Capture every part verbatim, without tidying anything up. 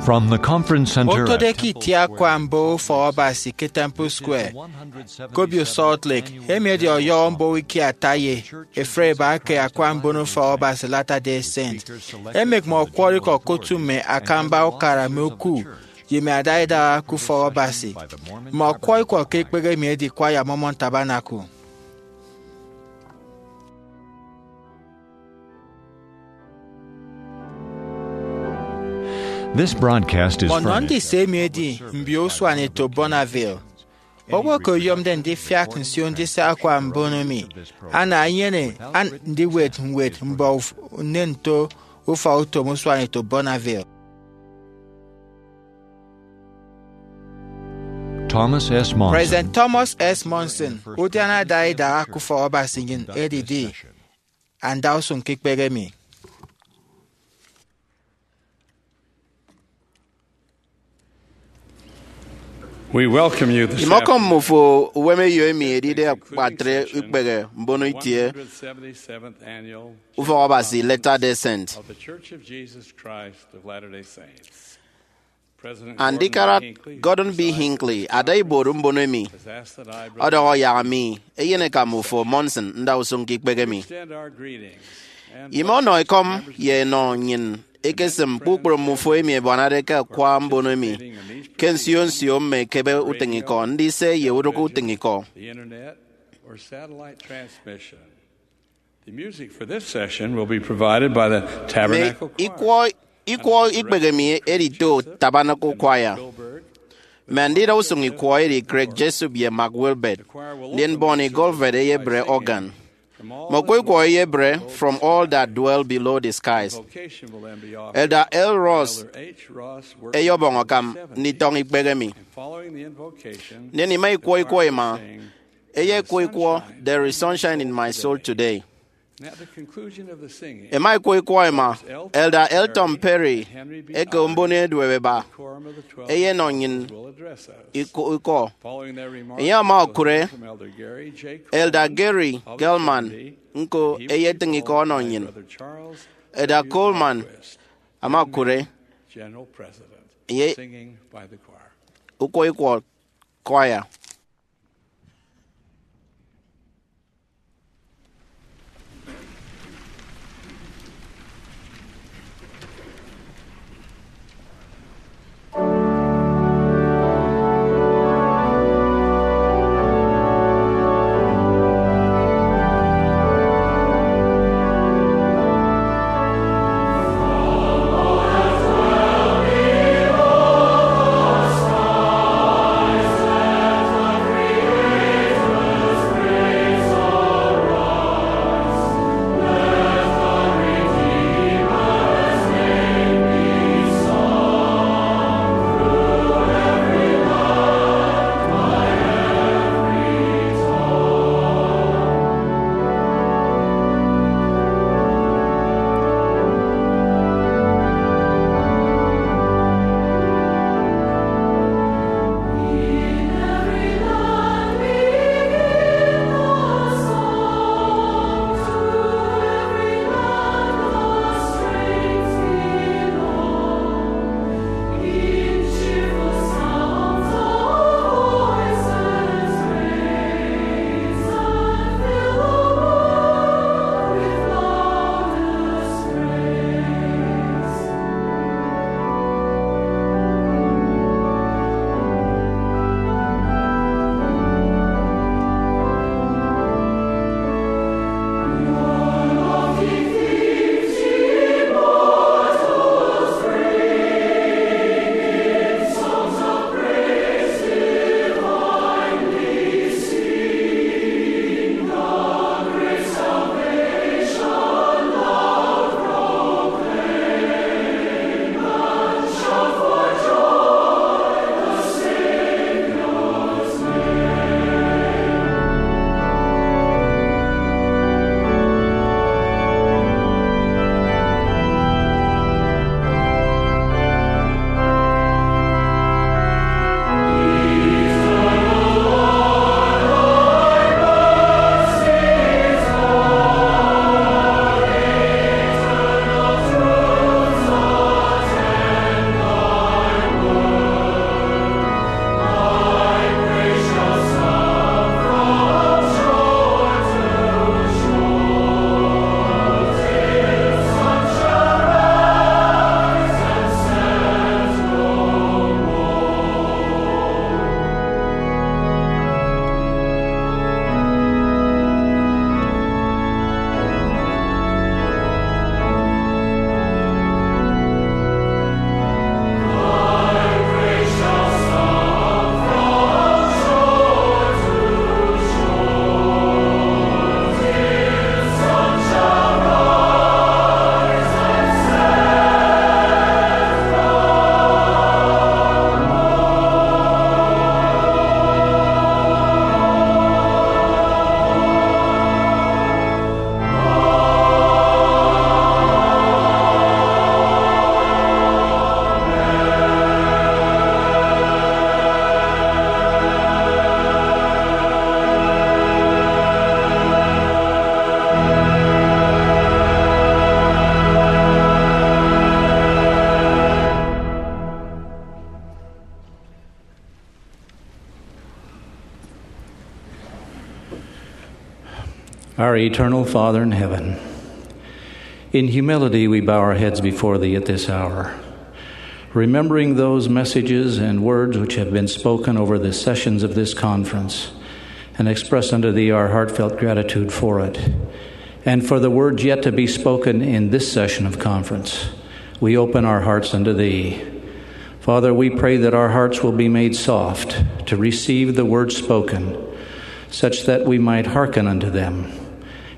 From the Conference Center Otode ke itie akwa mboho Ufọk Abasi ke Temple Square, Kobio Salt Lake, emi edi ọyọhọ mboho ikie ata ye efre eba ke akwa mbono Ufọk Abasi Latter-day Saint. Emek mme ọkwọrọ ikọ ke otu mme akamba ukara mme oku ye mme adaidaha ke Ufọk Abasi. Mme ọkwọrọ ikọ ke ikpehe emi edi Choir Mormon Tabernacle. This broadcast is Mmọ nọ furnished. Ndise emi edi mbio usuan eto Bonneville. Owo ke oyomde ndifiak nsio ndise akwa mbono mi, ana enyene an-, ndiwet ñwed mbọ uf-, nnen nto ufọk utom usuan eto Bonneville. Thomas S. Monson. President Thomas S. Monson, udiana adaidaha ke Ufọk Abasi nnyịn edidi. Anda usụñ ke ikpehe mi. We welcome you this Imọkọm afternoon. Mmufo uwemeyo emi edide akpatre ikpehe mbono itie Ufọk Abasi Latter-day Saint. Andikara Gordon B. Hinckley, ada ibuot mbono emi, ọdọhọ yak mi eyeneka mmufo Monson nda usụñ ke ikpehe mi. Ime ọnọ ekọm ye enọ nnyịn ekesịm kpukpru mmufo emi ẹbuanade ke akwa mbono emi ke nsio nsio mme ekebe utịñikọ, ndise ye urụk utịñikọ. The music for this session will be provided by the Mme Tabernacle Choir. Ikwọ, ikwọ ikpehe mi edito Tabernacle Choir. Mme andida usụñ ikwọ edi Craig Jessup ye Mark Wilbert, ndien Bonnie Goldberg eyebre organ. Mme okwọ ikwọ eyebre From All That Dwell Below the Skies. Elder L. Ross eyọbọñ akam nditọñọ ikpehe mi. Ndien ima ikwọ ikwọ ima, eyekwọ ikwọ There Is Sunshine in My Soul Today. Ema ikwọ ikwọ ema, Elder Elton Perry eke mbono eduep eba eyenọ nnyịn ikwọ. Enye ama okụre Elder Gary Gelman ñko eyetịñ ikọ ọnọ nnyịn. Elder Coleman ama okụre enye ukwọ ikwọ choir. Our eternal Father in heaven, in humility we bow our heads before Thee at this hour, remembering those messages and words which have been spoken over the sessions of this conference, and express unto Thee our heartfelt gratitude for it, and for the words yet to be spoken in this session of conference. We open our hearts unto Thee. Father, we pray that our hearts will be made soft to receive the words spoken, such that we might hearken unto them,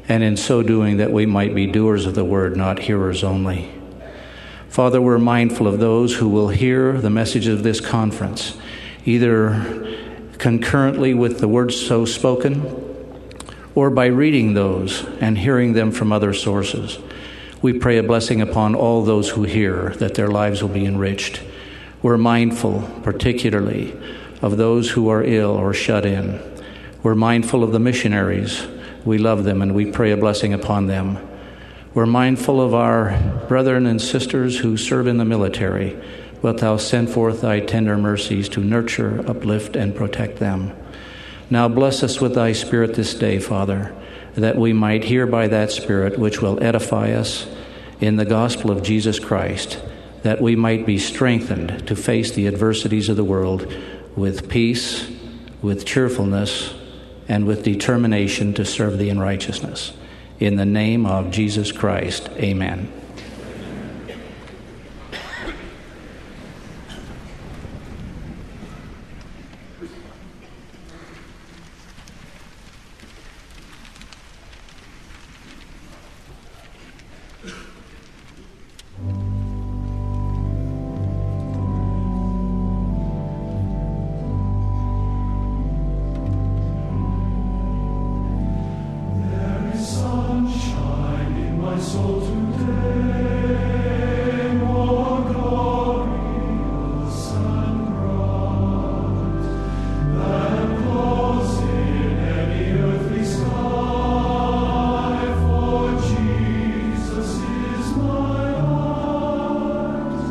and in so doing that we might be doers of the word, not hearers only. Father, we're mindful of those who will hear the message of this conference, either concurrently with the words so spoken or by reading those and hearing them from other sources. We pray a blessing upon all those who hear, that their lives will be enriched. We're mindful, particularly, of those who are ill or shut in. We're mindful of the missionaries. We love them and we pray a blessing upon them. We're mindful of our brethren and sisters who serve in the military. Wilt thou send forth thy tender mercies to nurture, uplift, and protect them. Now bless us with thy Spirit this day, Father, that we might hear by that Spirit which will edify us in the gospel of Jesus Christ, that we might be strengthened to face the adversities of the world with peace, with cheerfulness, and with determination to serve thee in righteousness. In the name of Jesus Christ, amen. There is sunshine in my soul today, more glorious and bright than clouds in any earthly sky, for Jesus is my light.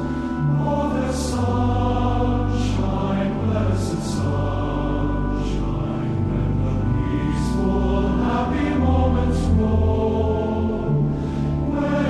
Oh, the sunshine, blessed sunshine, when the peaceful, happy moments roll, when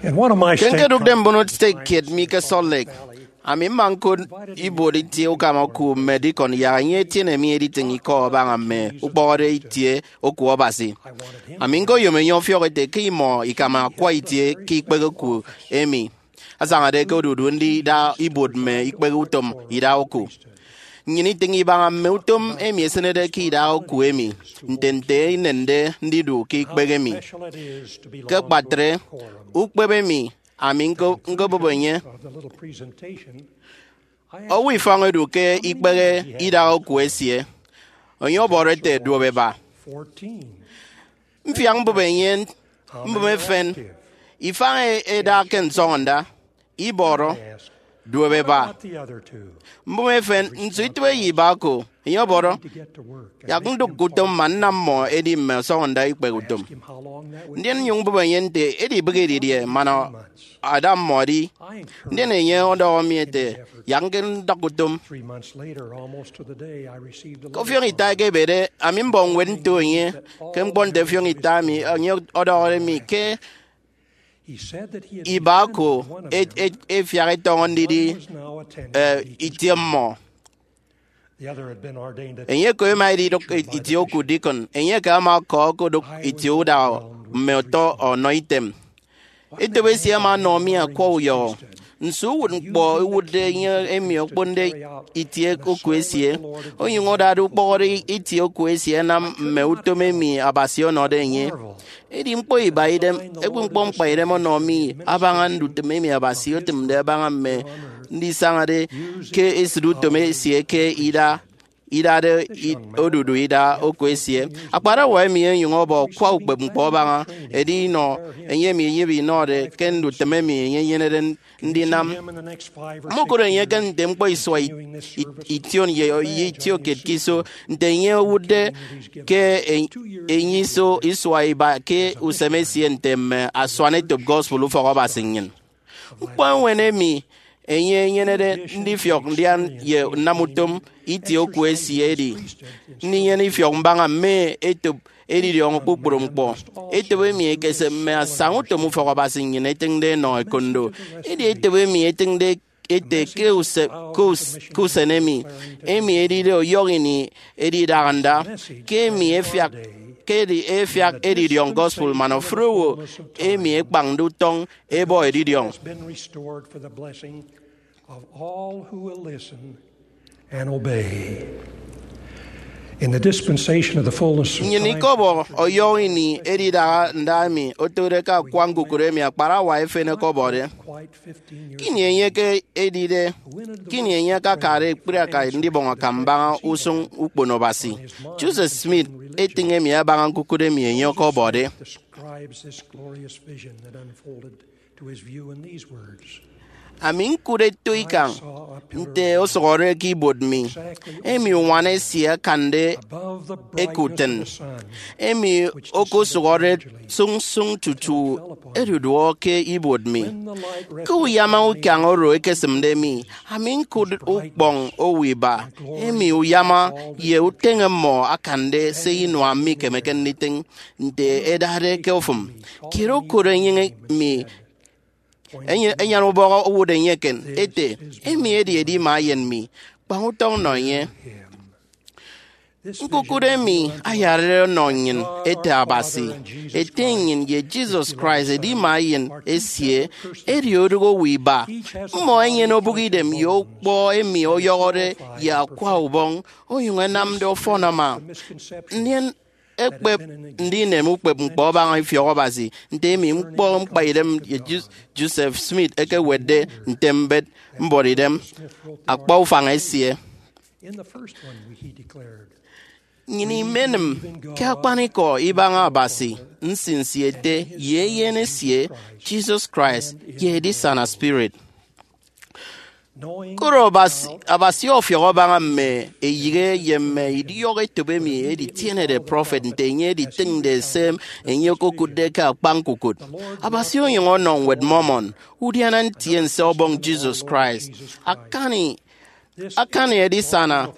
Ke nkedụkde mbon stek kiet mi ke Salt Lake, ami mma ñkot ibuot itie ukama oku mme dikọn yak enye etiene mi editịñ ikọ abaña mme ukpọhọde itie oku Abasi. Ami ñkoyom enye ọfiọk ete ke imọ ikama akwa itie ke ikpehe oku emi asañade ke odudu ndida ibuot mme ikpehe utom idaha oku. Nnyịn itịñ ibaña mme utom emi esịnede ke idaha oku emi, nte nte inende ndidu ke ikpehe emi. Ke akpatre ukpep emi ami ñko- ñkobụp enye, owo ifañ edu ke ikpehe idaha oku esie. Enye ọbọrọ ete, Duop eba. Mfiak mbụp enye mbụme efen, ifañ e- eda ke nsọñọnda, ibọrọ, Duop eba. Mbụme efen, nso itịbe ye iba ko? Enye ọbọrọ, Yak ndụk ke utom man nnam mmọ edi mme ọsọñọnda ikpehe utom. Ndien nnyụñ mbụp enye nte edibịghi didie man ada mmọ edi. Ndien enye ọdọhọ mi ete, Yak ndụk utom. Ke ọfiọñ ita ẹkebede, ami mbọñ ñwed nto enye. Ke ñkpọ nte ọfiọñ ita emi, enye ọdọhọde mi ke iba ko e- e- efiak etọñọ ndidi eh, itie mmọ. Enye ko ema edidụk itie oku dikọn. Enye ke ama ọkọ okodụk itie udaha mme ọtọ ọnọ item. Etop esie ama ọnọ mi akwa uyọhọ. Nso uwụtñkpọ iwụtde enye emi okponde itie oku esie, onyụñ adade ukpọhọde itie oku esie anam mme utom emi Abasi ọnọde enye? Edi ñkpọ iba idem, ekpri ñkpọ mkpaidem ọnọ mi abaña ndutịm emi Abasi otịmde abaña mme ndisañade ke esịt utom esie ke ida idade i- odudu ida oku esie. Akparawa emi onyụñ ọbọ akwa ukpep ñkpọ abaña, edi inọ enye emi eyebe inọde ke ndutịm emi enye enyenede ndinam. Mmokụt enye ke nte ñkpọ isua i- i- ition ye ye itiokiet ke iso, nte enye owụtde ke e- enye iso isua iba ke usem esie nte mme asuanetop gospel ufọk Abasi nnyịn. Ñkpọ eñwen emi enye enyenede ndifiọk ndian ye nnam utom itie oku esie edi ndinyene ifiọk mbaña mme etop edidiọñọ kpukpru ñkpọ. Etop emi ekese mme asañautom ufọk Abasi nnyịn ẹtịñde ẹnọ ekondo. Edi etop emi etịñde ete ke use- ke us- ke usen emi, emi edide ọyọhọ ini edidaha nda, ke emi efiak ke edi- efiak edidiọñ gospel man ofụri owo emi ekpañde utọñ ebọ edidiọñ. Has been restored for the blessing of all who will listen and obey. In the dispensation of the fullness of Nnyịn time, ikọbọ ọyọhọ ini edidaha nda emi otode ke akwa ñkukụt emi akparawa efen ọkọbọde. Quite fifteen years Kini enye ke edide, kini enye akakade ekpri aka ndibọñ akam mbaña usụñ ukpono Abasi. Joseph Smith etịñ emi abaña ñkukụt emi enye ọkọbọde. Describes this glorious vision that unfolded to his view in these words. Ami ñkụt eto ikañ nte osụhọde ke ibuot mi, emi uñwana esie akande eke utịn, emi okosụhọde sụñsụñ tutu eduduọ ke ibuot mi. Ke uyama ukañ oro ekesịmde mi, ami ñkụt ukpọñ owo iba, emi uyama ye uteñe mmọ akande se inua mikemeke nditịñ nte ẹdade ke ofụm. Kiet okot enyịñ mi, enye- enyan ubọhọ owụt enye eken, ete, Emi edi edima eyen mi, kpañ utọñ nọ enye. Ñkukụt emi ayarade ọnọ nnyịn ete Abasi, Ete nnyịn ye Jesus Christ edima eyen esie, edi odụk owo iba. Mmọ ẹnyene obụk idem ye ukpọ emi ọyọhọde ye akwa ubọñ, onyụñ ẹnamde ọfọn ama. Ndien ẹkpep ndinem ukpep ñkpọ abaña ifiọk Abasi, nte emi ñkpọ mkpaidem ye Ju- Joseph Smith ekewetde nte mbet mbuọtidem akpa ufañ esie. In the first one, he declared, Nnyịn imenịm ke akpanikọ ibaña Abasi, nsinsi ete, ye eyen esie, Jesus Christ, ye edisana spirit. Koro Abasi, Abasi ọfiọk abaña mme eyịghe ye mme idiọk etop emi editienede prọfet nte enye editịñde se enye okokụtde ke akpa ñkukụt. Abasi onyụñ ọnọ Ñwed Mormon, udiana ntiense Ọbọñ Jesus Christ, akani Akani edisana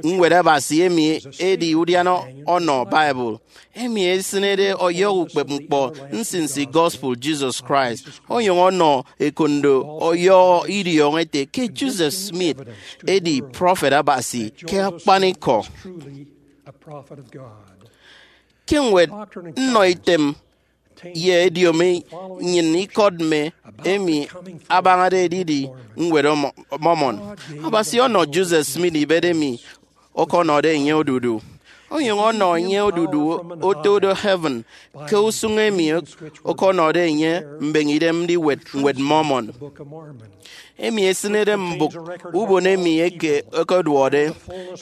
Ñwed Abasi emi edi udiana ọnọ Bible, emi esịnede ọyọhọ ukpepñkpọ nsinsi gospel Jesus Christ, onyụñ ọnọ ekondo ọyọhọ idiọñọ ete ke Joseph Smith edi prọfet Abasi ke akpanikọ. Ke ñwed Nnọ Item ye Ediomi Nnyịn Ikọt Mme emi abañade edidi Ñwed Mormon, Abasi ọnọ Joseph Smith ibet emi ọkọnọde enye odudu, onyụñ ọnọ enye odudu oto do heaven ke usụñ emi ọkọnọde enye mbeñe idem ndiwet Ñwed Mormon, emi esịnede mbụk ubon emi eke ẹkeduọde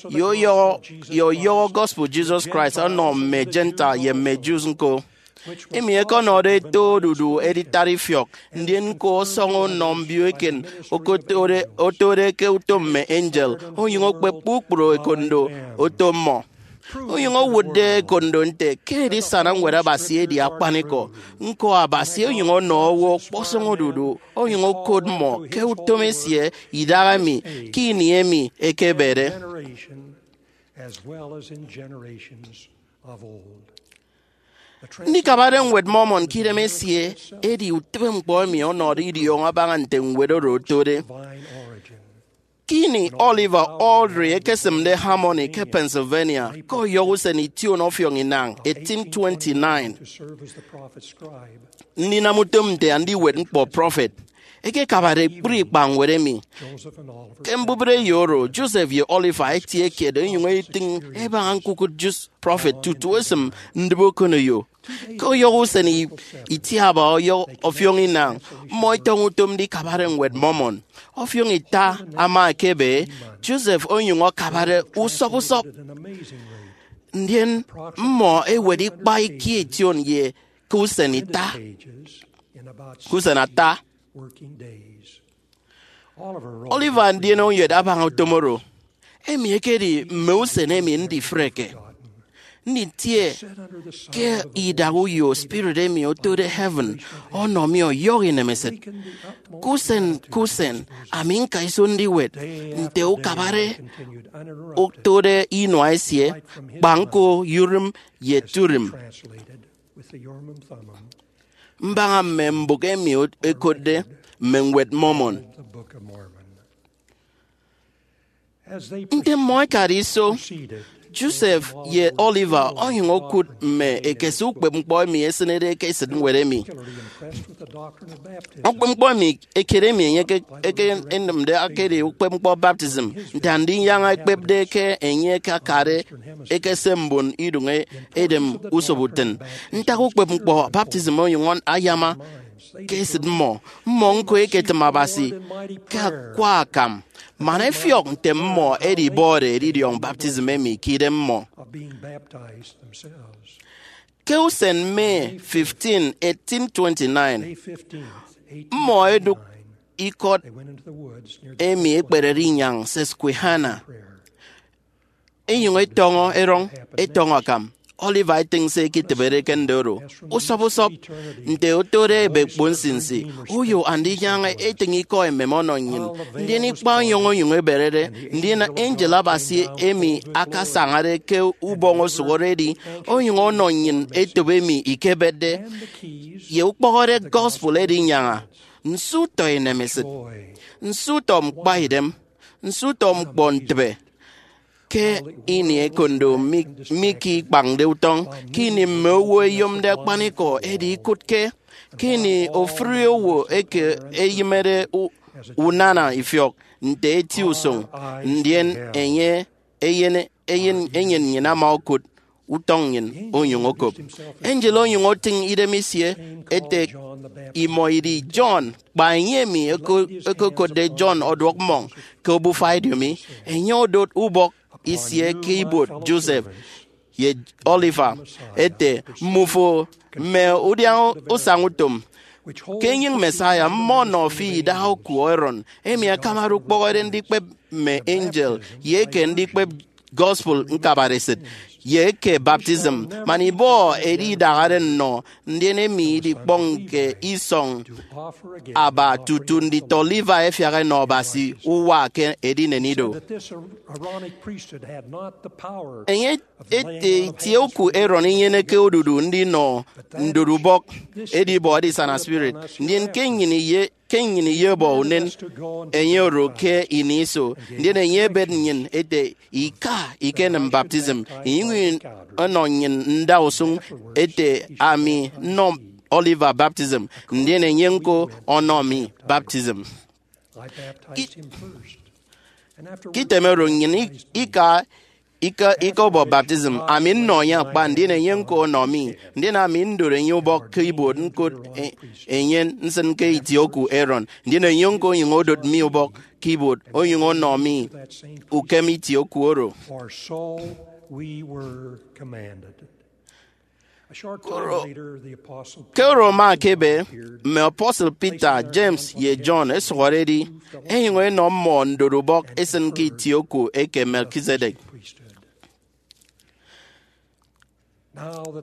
ye ọyọhọ gospel Jesus Christ ọnọ mme Gentile ye mme Jews ñko, emi ẹkọnọde eto odudu editat ifiọk, ndien ñko ọsọñọ ọnọ mbio eken otode ke utom mme angel, onyụñ okpep kpukpru ekondo oto mmọ, onyụñ owụtde ekondo nte ke edisana Ñwed Abasi edi akpanikọ. Ñko, Abasi onyụñ ọnọ owo ọkpọsọñ odudu, onyụñ okot mmọ ke utom esie idahaemi ke ini emi ekebede. Ndikabade Ñwed Mormon ke idem esie edi utịbeñkpọ emi ọnọde idiọñọ abaña nte ñwed oro otode. Ke ini Oliver Cowdery ekesịmde Harmony ke Pennsylvania ke ọyọhọ usen ition ọfiọñ inañ eighteen twenty-nine, ndinam utom nte andiwet ñkpọ prọfet, ekekabade ekpri ikpañwed emi. Ke mbubreyo oro, Joseph ye Oliver etie kiet enyụñ etịñ ebaña ñkukụt Jus prọfet tutu esịm ndịbe okoneyo. Ke ọyọhọ usen itiaba ọyọhọ ọfiọñ inañ, mmọ etọñọ utom ndikabade Ñwed Mormon. Ọfiọñ ita ama ekebe, Joseph onyụñ akabade usọp usọp. Ndien mmọ ewet ikpa ikie ition ye ke usen ita ke usen ata. Oliver ndien oyet abaña utom oro. Emi ekedi mme usen emi ndifreke, nditie ke idak uyo spirit emi otode heaven ọnọ mi ọyọhọ inemesịt. Ke usen ke usen, ami ñka iso ndiwet nte ukabare otode inua esie, kpa ñko Urim ye Turim, mbaña mme mbụk emi ekotde mme Ñwed Mormon. Nte mmọ ẹkade iso, Joseph ye Oliver onyụñ okụt mme ekese ukpepñkpọ emi esịnede ke esịtñwed emi. Ukpepñkpọ emi ekedemi enye ekenịmde ekedi ukpepñkpọ baptism, nte Andinyaña ekpepde ke enye akakade ekese mbon iduñ edem usoputịn. Ntak ukpepñkpọ baptism onyụñ ayama ke esịt mmọ? Mmọ ñko ẹketịm Abasi ke akwa akam man ẹfiọk nte mmọ ẹdibọde edidiọñ baptism emi ke idem mmọ. Ke usen May fifteen, eighteen twenty-nine, mmọ ẹdụk ikọt emi ekperede inyañ Susquehanna, enyụñ etọñọ erọñ etọñọ akam. Oliver etịñ se eketịbede ke nde oro usọp usọp nte otode ebekpo nsinsi. Uyo Andinyaña etịñ ikọ emem ọnọ nnyịn, ndien ikpa ọniọñ onyụñ eberede, ndien angel Abasi emi akasañade ke ubọñ osụhọrede onyụñ ọnọ nnyịn etop emi ikebetde ye ukpọhọde gospel Edinyaña. Nso utọ inemesịt! Nso utọ ñkpaidem! Nso utọ ñkpọ ntịbe! Ke ini ekondo mi ke ikpañde utọñ, ke ini mme owo ẹyomde akpanikọ edi ikụtke, ke ini ofụri owo eke eyịmede unana ifiọk nte eti usụñ, ndien enye eyen eyen enyịn nnyịn ama okụt utọñ nnyịn onyụñ okop. Angel onyụñ otịñ idem isie ete, imọ idi John, kpa enye emi ẹkokotde John ọduọk mmọñ ke obufa ediomi. Enye odot ubọk isie ke ibuot Joseph ye Oliver ete, mmufo mme udiaña usañutom. Ke enyịñ Messiah, mmọ ọnọ fi idaha oku Aaron, emi akamade ukpọhọde ndikpep mme angel ye eke ndikpep gospel ñkabaresịt. ye eke baptism, man ibọhọ edi idahade nnọ, ndien emi idikpọñke isọñ aba tutu nditọ Levi ẹfiak ẹnọ Abasi uwa ke edinen ido. Enye ete itie uku Aaron inyeneke odudu ndinọ ndorubọk edibọ edisana spirit, ndien ke nnyịn iye ke nnyịn iyebọ unen enye oro ke ini iso. Ndien enye ebet nnyịn ete, ika ikenịm baptism, inyụñ ọnọ nnyịn ndausụñ ete, ami nnọ Oliver baptism, ndien enye ñko ọnọ mi baptism. Ke item oro nnyịn ika ika ikọbọ baptism, ami nnọ enye akpa, ndien enye ñko ọnọ mi, ndien ami ndoro enye ubọk ke ibuot ñkot e- enye nsịn ke itie oku Aaron, ndien enye ñko onyụñ odot mi ubọk ke ibuot onyụñ ọnọ mi ukem itie oku oro. For so we were commanded. A short time later, the Apostle Ke oro ama ekebe, mme apostle Peter, James, ye John ẹsụhọde ẹdi, ẹnyụñ ẹnọ mmọ ndorubọk ẹsịn ke itie oku eke Melchizedek.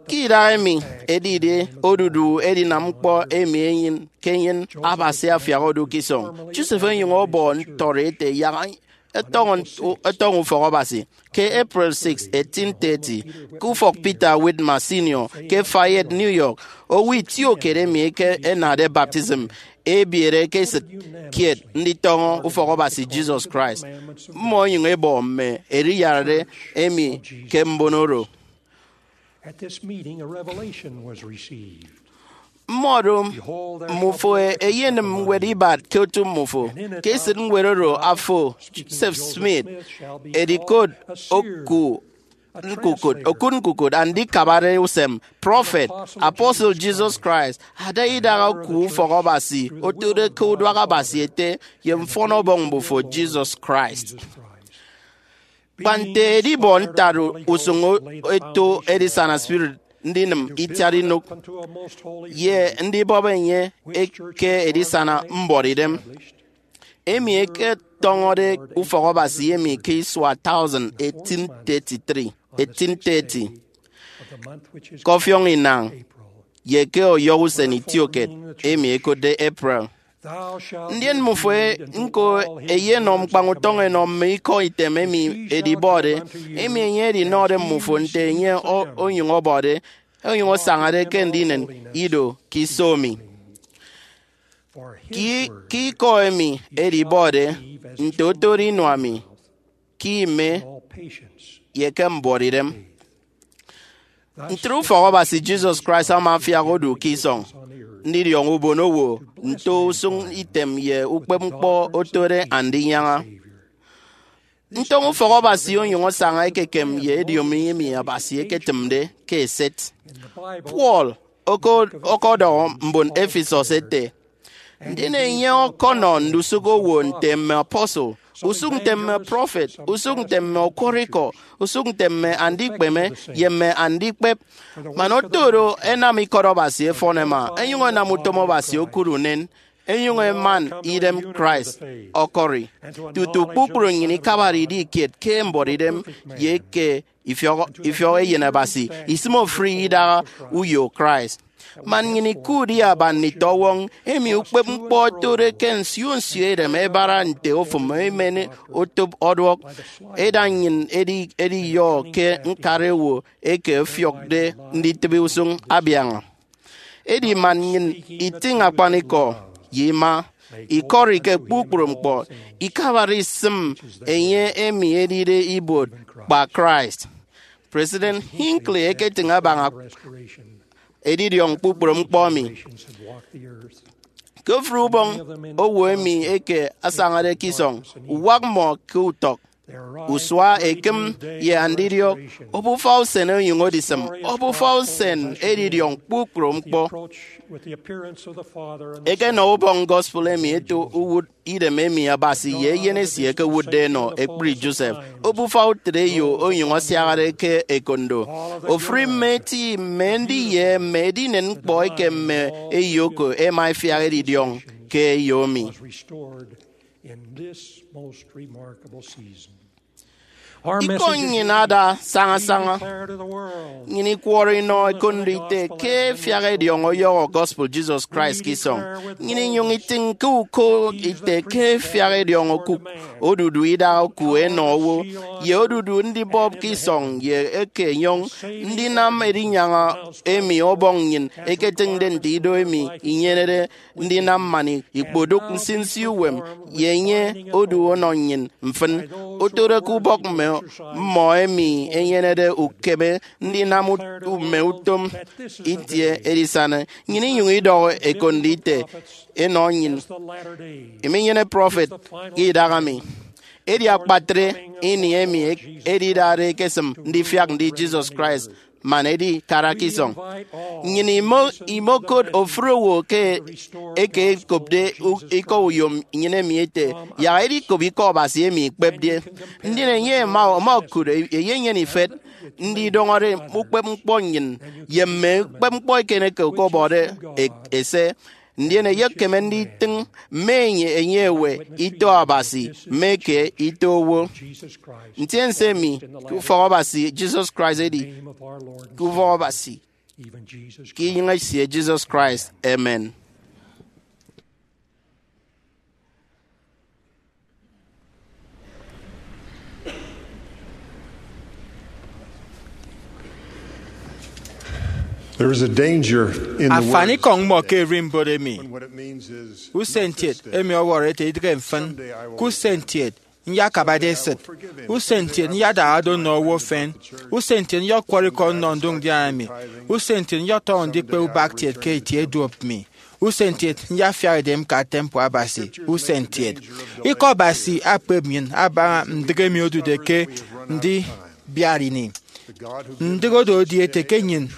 Ke idaha emi edide odudu edinam ñkpọ emi enyịn ke enyịn Abasi afiak odu ke isọñ, Joseph onyụñ ọbọ ntọrọ ete yak ẹtọñọ ẹtọñọ ufọk Abasi. Ke April six, eighteen thirty, ke ufọk Peter Whitmer Senior ke Fayette, New York, owo itiokiet emi eke ẹnade baptism ebiere ke esịt kiet nditọñọ ufọk Abasi Jesus Christ. Mmọ ẹnyụñ ẹbọ mme eriyarare emi ke mbon oro. At this meeting, a revelation was received. Mmọdo mmufo eyenịm ñwed ibat ke otu mmufo. Ke esịt ñwed oro, afo, Joseph Smith, edikot oku ñkukụt, okụt ñkukụt andikabare usem, prọfet, apostle Jesus Christ, ada idaha oku ufọk Abasi, otode ke uduak Abasi Ete ye Mfọn Ọbọñ Mbufo Jesus Christ. Kpa nte edibọ ntara usụñ eto edisana spirit, ndinịm itiat inụk, ye ndibọp enye ke edisana mbuọtidem, emi ẹketọñọde ufọk Abasi emi ke isua thousand, eighteen thirty-three, eighteen thirty, ke ọfiọñ inañ, ye ke ọyọhọ usen itiokiet emi ẹkotde April. Ndien mmufo ñko ẹyenọ ñkpañ utọñ ẹnọ mme ikọ item emi edibọde, emi enye edinọde mmufo nte enye o- onyụñ ọbọde, onyụñ asañade ke ndinen ido ke iso emi. Ke, ke ikọ emi edibọde, nte otode inua mi, ke ime, ye ke mbuọtidem. Ntre ufọk Abasi Jesus Christ ama afiak odu ke isọñ, ndidiọñọ ubonowo nto usụñ item ye ukpepñkpọ otode andinyaña. Ntọñọ ufọk Abasi onyụñ asaña ekekem ye ediomi emi Abasi eketịmde ke eset. Paul oko- ọkọdọhọ mbon Ephesus ete, ndien enye ọkọnọ ndusụk owo nte mme apostle, usụk nte mme prọfet, usụk nte mme ọkwọrọikọ, usụk nte mme andikpeme ye mme andikpep. Man oto oro, ẹnam ikọt Abasi ẹfọn ẹma, ẹnyụñ ẹnam utom Abasi okụt unen, ẹnyụñ ẹman idem Christ ọkọri, tutu kpukpru nnyịn ikabare idi kiet ke mbuọtidem ye ke ifiọk, ifiọk eyen Abasi, isịm ofụri idaha uyo Christ. Man nnyịn ikudi aba nditọwọñ emi ukpepñkpọ otode ke nsio nsio edem ẹbara nte ofụm emen otop ọduọk, ẹda nnyịn edi- ediyọ ke ñkara owo eke ẹfiọkde nditịbi usụñ abiaña. Edi man nnyịn itịñ akpanikọ ye ima, ikọri ke kpukpru ñkpọ, ikabare isịm enye emi edide ibuot kpa Christ. President Hinckley eketịñ abaña edidiọñ kpukpru ñkpọ emi. Ke ofụri ubọñ owo emi eke asañade ke isọñ, uwak mmọ ke utọk, usua, ekịm, ye andidiọk, obufa usen onyụñ odisịm, obufa usen edidiọñ kpukpru ñkpọ. Ekenọ ubọñ gospel emi eto uwụt idem emi Abasi ye Eyen esie ẹkewụtde ẹnọ ekpri Joseph. Obufa utịt eyo onyụñ asiahaade ke ekondo. Ofụri mme eti, mme ndi, ye mme edinen ñkpọ eke mme eyo oko ẹma ẹfiak edidiọñ ke eyo emi. In this most remarkable season. Ikọ nnyịn ada saña saña. Nnyịn ikwọrọ inọ ekondo ite ke ẹfiak ẹdiọñọ ọyọhọ gospel Jesus Christ ke isọñ. Nnyịn inyụñ itịñ ke uko ite ke ẹfiak ẹdiọñọ okụk, odudu idaha oku ẹnọ owo, ye odudu ndibọp ke isọñ ye eke enyọñ. Ndinam edinyaña emi Ọbọñ nnyịn eketịñde nte ido emi inyenede ndinam man ikpodụk nsinsi uwem ye enye odu ọnọ nnyịn mfịn. Otode ke ubọk mme mmọ emi ẹnyenede ukeme ndinam ut- mme utom itie edisana, nnyịn inyụñ idọhọ ekondo ite enọ nnyịn. Iminyene prọfet ke idaha mi. Edi akpatre ini emi edidade ekesịm ndifiak ndi Jesus Christ man edi kara ke isọñ. Nnyịn imo- imokot ofụri owo ke eke ekopde u- ikọ uyom nnyịn emi ete, yak edikop ikọ Abasi emi ikpepde. Ndien enye ama ama okụt e- eyenyene ifet ndidọñọde ukpep ñkpọ nnyịn ye mme ukpep ñkpọ eken eke okobọde e- ese. Ndien eyekeme nditịñ mme enye enye ewe ito Abasi mme ke ito owo. Ntiense mi ke ufọk Abasi Jesus Christ edi ke ufọk Abasi ke inyụñ esie Jesus Christ. Amen. There is a danger in the word Afanikọñ mmọ ke erimbot emi. What it means is usentiet emi ọwọrọ ete idịghe mfịn. Ke usentiet nyakabade esịt. Usentiet nyadahade nnọ owo ufen. Usentiet nyọkwọrọ ikọ nnọ ndụñdiana mi. Usentiet nyọtọñọ ndikpe ubak kiet ke itie duop mi. Usentiet nyafiak edem ka temple Abasi. Usentiet ikọ Abasi akpep nnyịn abaña ndịk emi odude ke ndibiat ini. Ndịk odo edi ete ke nnyịn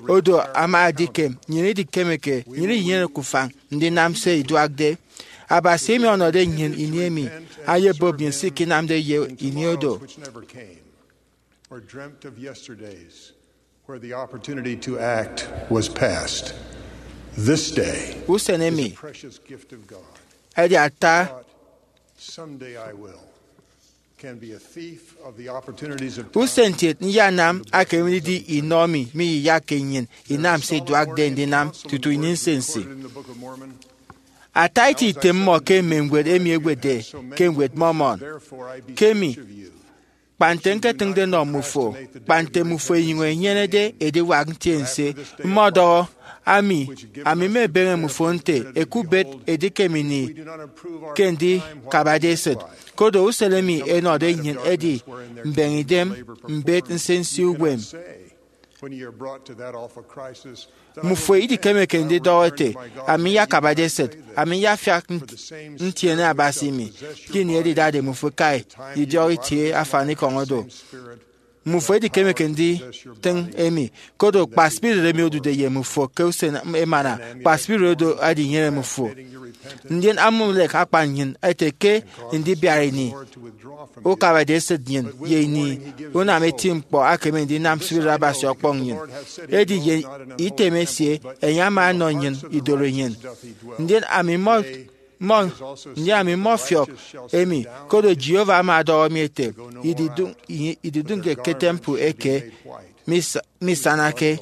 odo ama edikem, nnyịn idikemeke, nnyịn iyeneke ufañ ndinam se iduakde. Abasi emi ọnọde nnyịn ini emi ayebop nnyịn se ikinamde ye ini odo. Or dreamt of yesterdays where the opportunity to act was past. This day Usen emi precious gift of God. Edi ata Someday I will can be a thief of the opportunities of time. Usentiet nyanam akemedidi inọ mi miyiyakke nnyịn inam se iduakde ndinam tutu ini nsinsi. Recorded in the Book of Mormon. Ata iti item mmọ ke mme ñwed emi ẹwetde ke Ñwed Mormon. Ke mi, kpa nte ñketịñde nnọ mmufo, kpa nte mmufo inyụñ inyenede ediwak ntiense, mmọdọhọ, ami, ami mmebeñe mmufo nte ẹkubet edikem ini ke ndikabade esịt. Koro usen emi ẹnọde nnyịn edi mbeñe idem mbet nsinsi uwem. When ye are brought to that awful crisis, then I Mmufo idikemeke ndidọhọ ete, ami nyakabade esịt, ami nyafiak ntiene Abasi mi. Ndien edidade mmufo ikai idiọk itie afanikọñ odo. Mmufo idikemeke nditịñ emi, koro kpa spirit emi odude ye mmufo ke usen emana, kpa spirit odo adinyene mmufo. Ndien Amulek akpan nnyịn ete ke ndibiat ini ukabade esịt nnyịn ye ini unam eti ñkpọ akeme ndinam spirit Abasi ọkpọñ nnyịn. Edi ye item esie enye ama ọnọ nnyịn idoro nnyịn. Ndien ami mmọ mmọ ndien ami mmọfiọk emi, koro Jehovah ama ọdọhọ mi ete, ididụñ- ididụñke ke temple eke misa- misanake.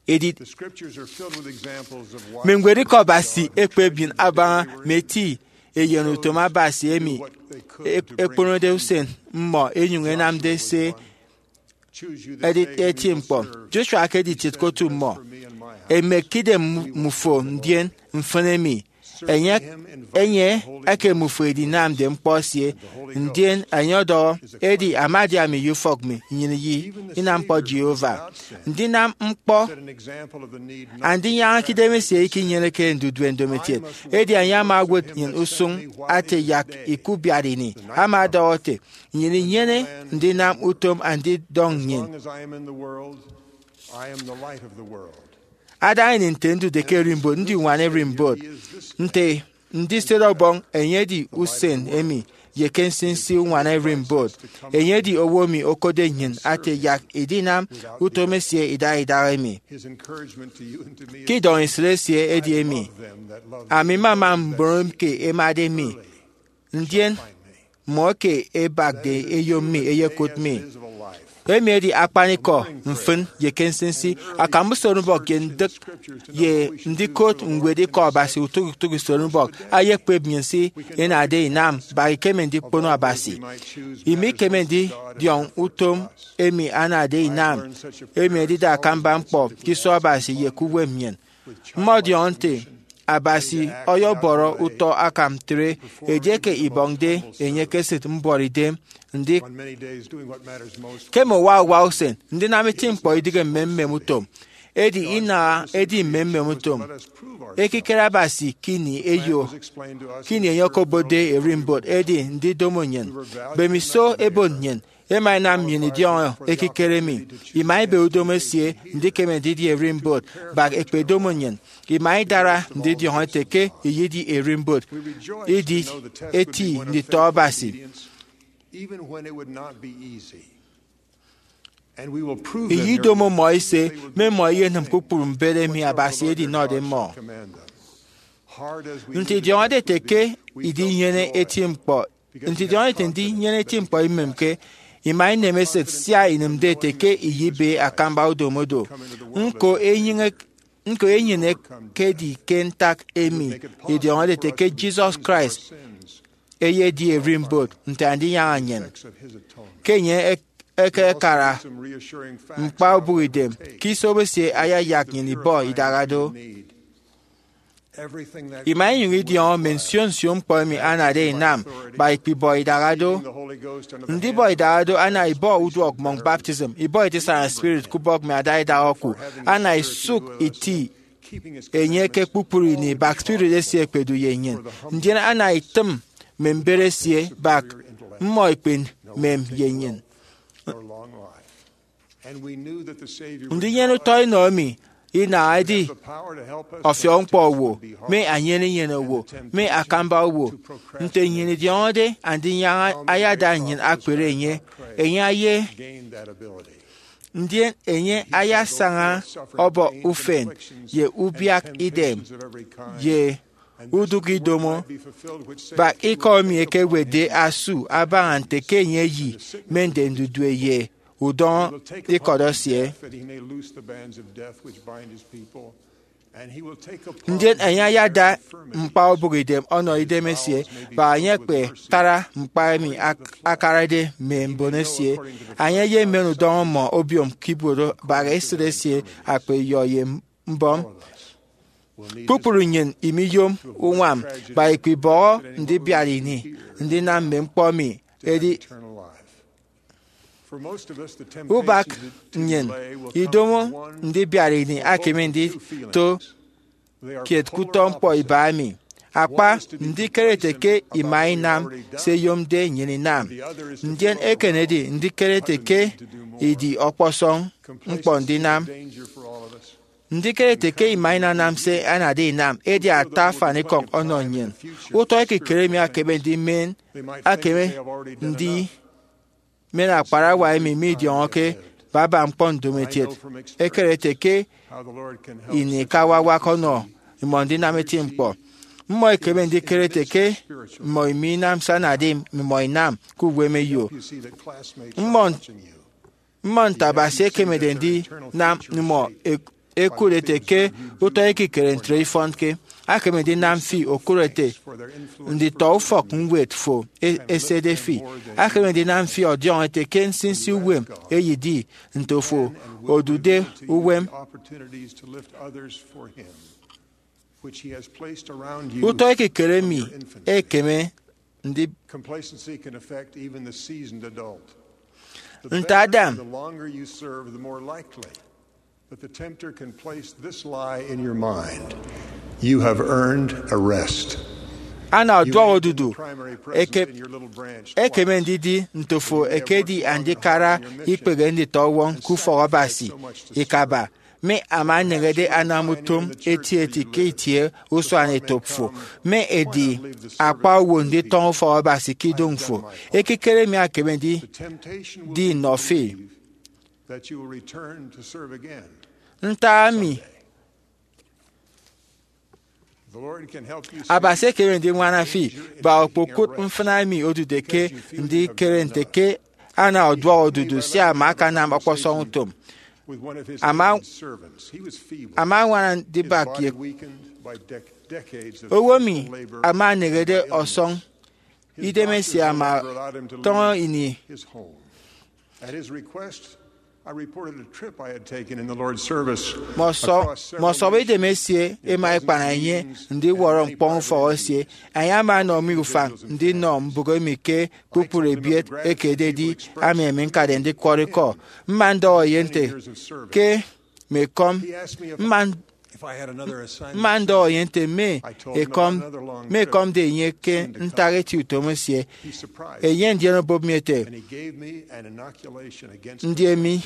Edi The scriptures are filled with examples of why mme ñwed ikọ Abasi ekpep nnyịn abaña mme eti eyen utom Abasi emi e- ekponode usen mmọ enyụñ enamde se editi eti ñkpọ. Joshua ke editiet ke otu mmọ. Emek ke idem mmufo ndien mfịn emi. Enye enye eke mmufo edinamde ñkpọ esie, ndien enye ọdọhọ, edi ama adi ami ye ufọk mi, nnyịn ye inam ñkpọ Jehovah. Ndinam ñkpọ andinyaña ke idemesie ikinyeneke ndudue ndomokiet, edi enye ama owot nnyịn usụñ ate yak ikubiat ini. Ama ọdọhọ ete, nnyịn inyene ndinam utom andidọñ nnyịn. Adaña ini nte ndude ke erimbot, ndi uñwana erimbot, nte ndisede Ọbọñ, enye edi usen emi, ye ke nsinsi uñwana erimbot, enye edi owo emi okotde nnyịn ate yak idinam utom esie idaha idaha emi. Ke idọñ esịt esie edi emi, ami mmama mbon eke ẹmade mi, ndien mmọ eke ẹbakde eyom mi ẹyekụt mi. Emi edi akpanikọ mfịn ye ke nsinsi akamba usenubọk ye ndịk ye ndikot ñwed Ikọ Abasi utok utok usenubọk ayekpep nnyịn se inade inam bak ikeme ndikpono Abasi. Imikeme ndidiọñ utom emi anade inam emi edide akamba ñkpọ ke iso Abasi ye ke uwem nnyịn. Mmọdiọñọ nte Abasi ọyọbọrọ utọ akam ntre edieke ibọñde enye ke esịt mbuọtidem. Ndik, ke mme uwa uwa usen, ndinam eti ñkpọ idịghe mmemmem utom, edi inaha edi mmemmem utom. Ekikere Abasi ke ini eyo, ke ini enye okobotde ererimbot, edi ndidomo nnyịn. Mbemiso ebot nnyịn, ẹma ẹnam nnyịn idiọñọ ekikere emi. Ima ibe udomo esie ndikeme ndidi ererimbot bak ẹkpedomo nnyịn. Ima idara ndidiọñọ ete ke iyedi ererimbot, idi eti nditọ Abasi. Iyidomo mmọ ise, mme mmọ iyenịm kpukpru mbet emi Abasi edinọde mmọ. Nte idiọñọde ete ke idinyene eti ñkpọ, nte idiọñọde ete ndinyene eti ñkpọ imemke, ima inem esịt sia inịmde ete ke iyibe akamba udomo do. Ñko enyịn ek-, ñko enyịn ekedi ke ntak emi idiọñọde ete ke Jesus Christ eyedi ererimbot nte Andinyaña nnyịn. Ke enye ek-, ekekara ñkpa ubụkidem ke iso esie, ayayak nnyịn ibọ idaha do. Ima inyụñ idiọñọ mme nsio nsio ñkpọ emi anade inam bak ikpibọ idaha do. Ndibọ idaha do ana ibọ uduọk mmọñ baptism, ibọ eti saña spirit ke ubọk mme adaidaha oku, ana isụk iti enye ke kpukpru ini bak spirit esie ekpedu ye nnyịn, ndien ana itịm mme mbet esie bak mmọ ikpemem ye nnyịn. Ndinyene utọ inọ emi inaha edi ọfiọkñkpọ owo, mme anyene inyene owo, mme akamba owo. Nte nnyịn idiọñọde Andinyaña ayada nnyịn akpere enye, enye aye, ndien enye ayasaña ọbọ ufen ye ubiak idem ye udụk idomo bak ikọ emi ekewetde asu abaña nte ke enye eyi mme nde ndudue ye udọñọ ikọt esie. Ndien enye ayada ñkpa ubụkidem ọnọ idem esie, bak enye ekpetara ñkpa emi ak-, akarade mme mbon esie. Enye eyemen udọñọ mmọ obiom ke ibuot bak esịt esie, akpa iyọ ye mbọm. Kpukpru nnyịn imiyom uñwam bak ikpibọhọ ndibiat ini ndinam mme ñkpọ emi edi ubak nnyịn. Idomo ndibiat ini akeme ndito kiet ke utọ ñkpọ iba emi. Akpa, ndikere ete ke ima inam se iyomde nnyịn inam. Ndien eken edi ndikere ete ke idi ọkpọsọñ ñkpọ ndinam. Ndikere ete ke ima inanam se anade inam edi ata afanikọñ ọnọ nnyịn. Utọ ekikere emi akeme ndimen, akeme ndi men akparawa emi midiọñọke baba ñkpọ ndomokiet. Ekere ete ke ini ikawawak ọnọ imọ ndinam eti ñkpọ. Mmọ ikeme ndikere ete ke mmọ iminam se anade mmimọ inam ke uwem eyo. Mmọ, mmọ nte Abasi ekemede ndinam mmọ e-, ekụt ete ke utọ ekikere ntre ifọnke. Akeme ndinam fi okụt ete nditọ ufọk ñwed fo e-, esede fi. Akeme ndinam fi ọdiọñọ ete ke nsinsi uwem eyedi nte ofo odude uwem. Utọ ekikere emi ekeme ndi- Complacency can affect even the seasoned adult. The Nte better Adam. And the longer you serve, the more likely that the tempter can place this lie in your mind. You have earned a rest. Ana ọduọk odudu eke-, ekeme ndidi nte ofo ekedi andikara ikpehe nditọ-uwọñ ke ufọk Abasi ikaba, mi ama nneñede anam utom eti eti ke itie usuanetop fo, mi edi akpa owo nditọñọ ufọk Abasi ke idoñ fo. Ekikere mi akeme ndi, di nnọ fi. Ntak emi Abasi ekeme ndiñwana fi, bak okpokụt mfịna emi odude ke ndikere nte ke ana ọduọk odudu sia ama akanam ọkpọsọñ utom. Ama añwana ndibak ye owo emi ama eneñede ọsọñ idemesie ama tọñọ ini. Mme ọsọbọ idemesie ẹma ẹkpana enye ndiwọrọ ñkpọñ ufọk esie. Enye ama ọnọ mi ufañ ndinọ mbụk emi ke kpukpru ebiet eke ededi ami emi ñkade ndikwọrọ ikọ. Mma ndọhọ enye nte ke mme ekọm mma ndọhọ enye nte mme ekọm mme ekọmde enye ke ntak eti utom esie. Enye ndien obụp mi ete, ndi emi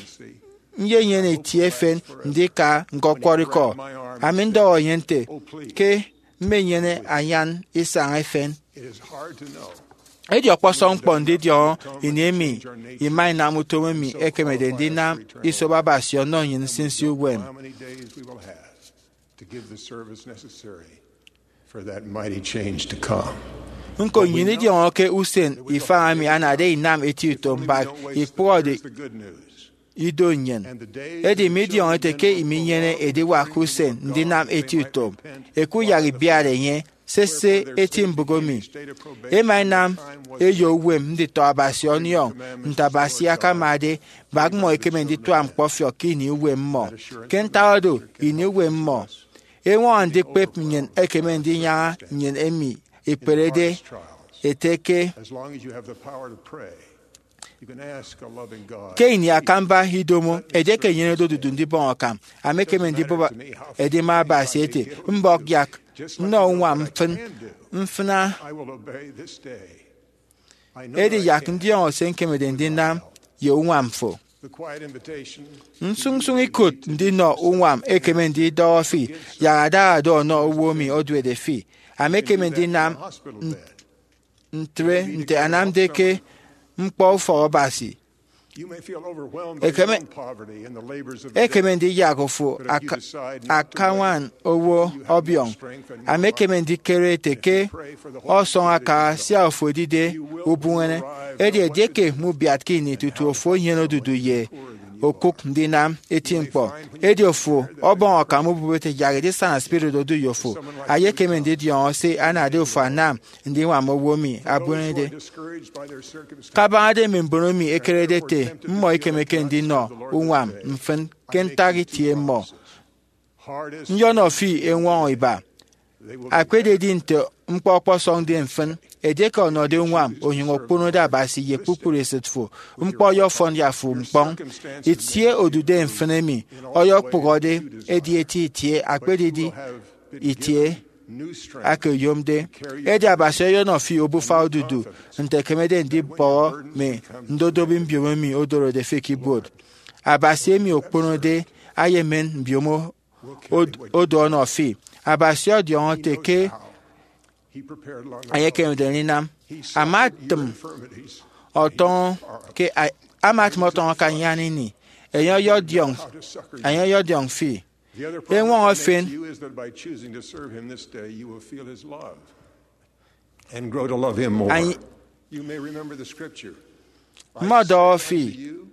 nyenyene itie efen ndika ñkọkwọrọ ikọ. Ami ndọhọ enye nte ke mmenyene anyan isañ efen. Edi ọkpọsọñ ñkpọ ndidiọñọ ini emi ima inam utom emi ekemede ndinam isobo Abasi ọnọ nnyịn nsinsi uwem. Nko nnyịn idiọñọke usen ifañ emi anade inam eti utom mbak ikpụhọde ido nnyịn. Edi midiọñọ ete ke iminyene ediwak usen ndinam eti utom. Ekuyak ibiat enye sese eti mbụk emi. Ema enam eyo uwem nditọ Abasi ọniọñ nte Abasi akamade, bak mmọ ekeme nditua ñkpọfiọk ke ini uwem mmọ. Ke ntak oro, ini uwem mmọ eñwọñọ ndikpep nnyịn ekeme ndinyaña nnyịn emi ekperede ete ke ke ini akamba idomo, edieke enyenede odudu ndibọñ akam, ami ekeme ndibụp edima Abasi ete, mbọk yak nnọ uñwam mfịn mfịna. Edi yak ndiọñọ se ñkemede ndinam ye uñwam fo. Nsụñnsụñ ikụt ndinọ uñwam ekeme ndidọhọ fi yak adaha do ọnọ owo emi oduede fi. Ami ekeme ndinam ntre nte anamde ke ñkpọ ufọk Abasi. Ekeme ndiyak ofo akañwan owo ọbiọñ. Ami ekeme ndikere ete ke ọsọñ aka sia ofo edide ubuñene. Edi edieke mubiatke ini tutu ofo enyene odudu ye okụk ndinam eti ñkpọ, edi ofo ọbọñ akam ubụpete yak edisana spirit odu ye ofo. Ayekeme ndidiọñọ se anade ofo anam ndiñwam owo emi abuñọde. Kabañade mme mbon emi ẹkerede ete mmọ ikemeke ndinọ uñwam mfịn ke ntak itie mmọ, nyọnọ fi eñwọñọ iba. Akpededi nte ñkpọ ọkpọsọñde mfịn, edieke ọnọde uñwam onyụñ okponode Abasi ye kpukpru esịt fo, ñkpọ ọyọfọn ye afo ñkpọñ. Itie odude mfịn emi ọyọkpụhọde edi eti itie, akpededi itie aka oyomde. Edi Abasi ọyọnọ fi obufa odudu nte ekemede ndibọhọ mme ndodobi mbiomo emi odorode fi ke ibuot. Abasi emi okponode ayemen mbiomo od- odu ọnọ fi. Abasi ọdiọñọ ete ke enye ekemede ndinam. Ama atịm ọtọñọ ke a- ama atịm ọtọñọ ke anyan ini. Enye ọyọdiọñ enye ọyọdiọñ fi. Eñwọñọ efen. And grow to love Him more. Anyi- You may remember the scripture. Mmọdọhọ fi. You,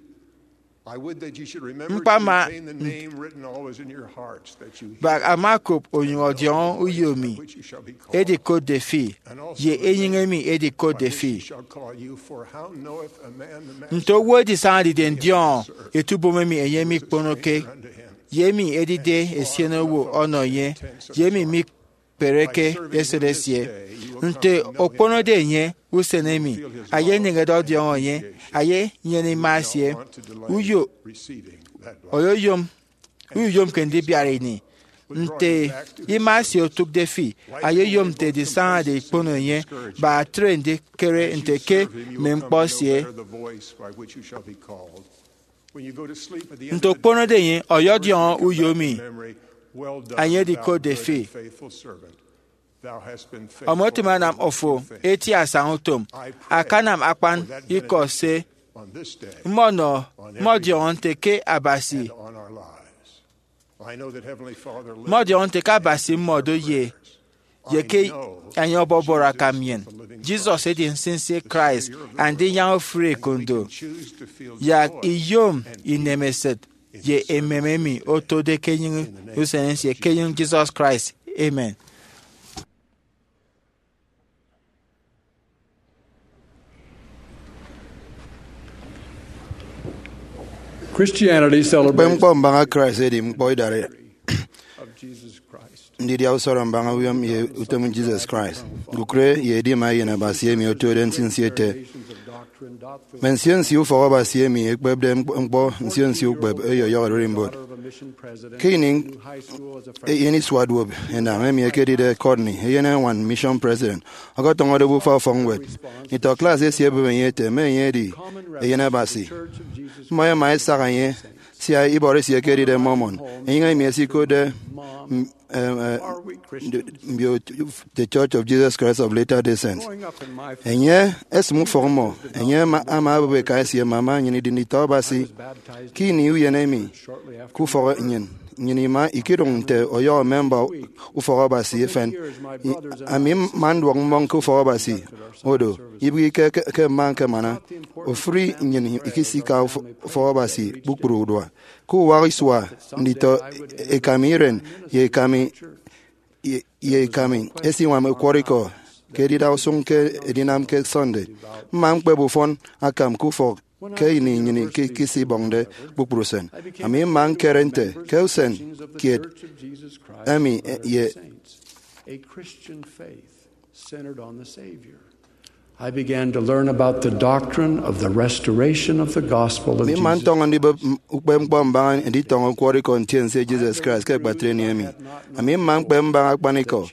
I would that you should remember Mkpa to ma- maintain the name written always in your hearts, that you Bak ama kop onyụñ ọdiọñọ uyo emi which you shall be called. Edikotde fi, ye enyịñ emi edikotde Which he fi. Shall call you, for how knoweth a man the master? Nte owo edisaña edide ndiọñọ etubom emi enye mikponoke, ye emi edide esien owo ọnọ enye, ye emi mikpereke esịt esie? Nte okponode enye usen emi, ayeneñede ọdiọñọ enye, ayenyene ima esie. Uyo oyoyom uyomke ndibiat ini. Nte ima esie otụkde fi, ayoyom nte edisañade ikpono enye. Bak atre ndikere nte ke mme ñkpọ esie. Nte okponode enye ọyọdiọñọ uyo emi enye edikotde fi, ọmọ etịm anam ofo eti asaña utom, akanam akpan ikọ se mmọnọ. Mmọdiọñọ nte ke Abasi mmọdiọñọ nte ke Abasi mmọdo ye ye ke enye ọbọbọrọ akam nnyịn. Jesus edi nsinsi Christ, andinyaña ofụri ekondo. Yak iyom inemesịt ye emem emi otode ke enyịñ usen nsie ke enyịñ Jesus Christ. Amen. Christianity celebrates Ukpepñkpọ mbaña Christ edi ñkpọ idara of Jesus Christ. Ndidia usọrọ mbaña uwem ye utom Jesus Christ, ñkukụre ye edima eyen Abasi emi otode nsinsi ete, mme nsio nsio ufọk Abasi emi ekpepde ñkpọ nsio nsio ukpep ọyọyọhọ ererimbot. Ke ini eyen isua duop enañ emi ekedide Courtney, eyen eñwan mission president, ọkọtọñọde obufa ufọkñwed, nditọ klas esie ẹbem enye ete mme enye edi eyen Abasi. Mmọ ẹma ẹsak enye sia ibọrọ esie ekedide Mormon, enyịñ emi ẹsikotde m-, em, eh, mbio The Church of Jesus Christ of Latter-day Saints. Enye esịm ufọk mmọ. Enye ama ama abụp eka esie mme ama nnyịn idi nditọ Abasi. Ke ini uyen emi, ke ufọk nnyịn, nnyịn ima ikiduñ nte ọyọhọ memba ufọk Abasi efen. I- ami mma nduọk mmọñ ke ufọk Abasi. Odo, ibịghike ke, ke mma ñkemana. Ofụri nnyịn ikisika ufọ- ufọk Abasi kpukpru urua. Ke uwak isua, nditọ ekami iren ye ekami ye, ye ekami esiñwam ukwọrọikọ ke edida usụñ ke edinam ke Sunday. Mma ñkpep ufọn akam ke ufọk ke ini nnyịn ke ikisibọñde kpukpru usen. Ami mma ñkere nte ke usen kiet emi, eh, ye a Christian faith centered on the Savior. I began to learn about the doctrine of the restoration of the gospel of Ami mma Jesus ntọñọ ndibụp m- ukpepñkpọ mbaña nditọñọ ukwọrọikọ ntiense Jesus Christ ke ekpatre ini emi. Ami mma ñkpep mbaña akpanikọ.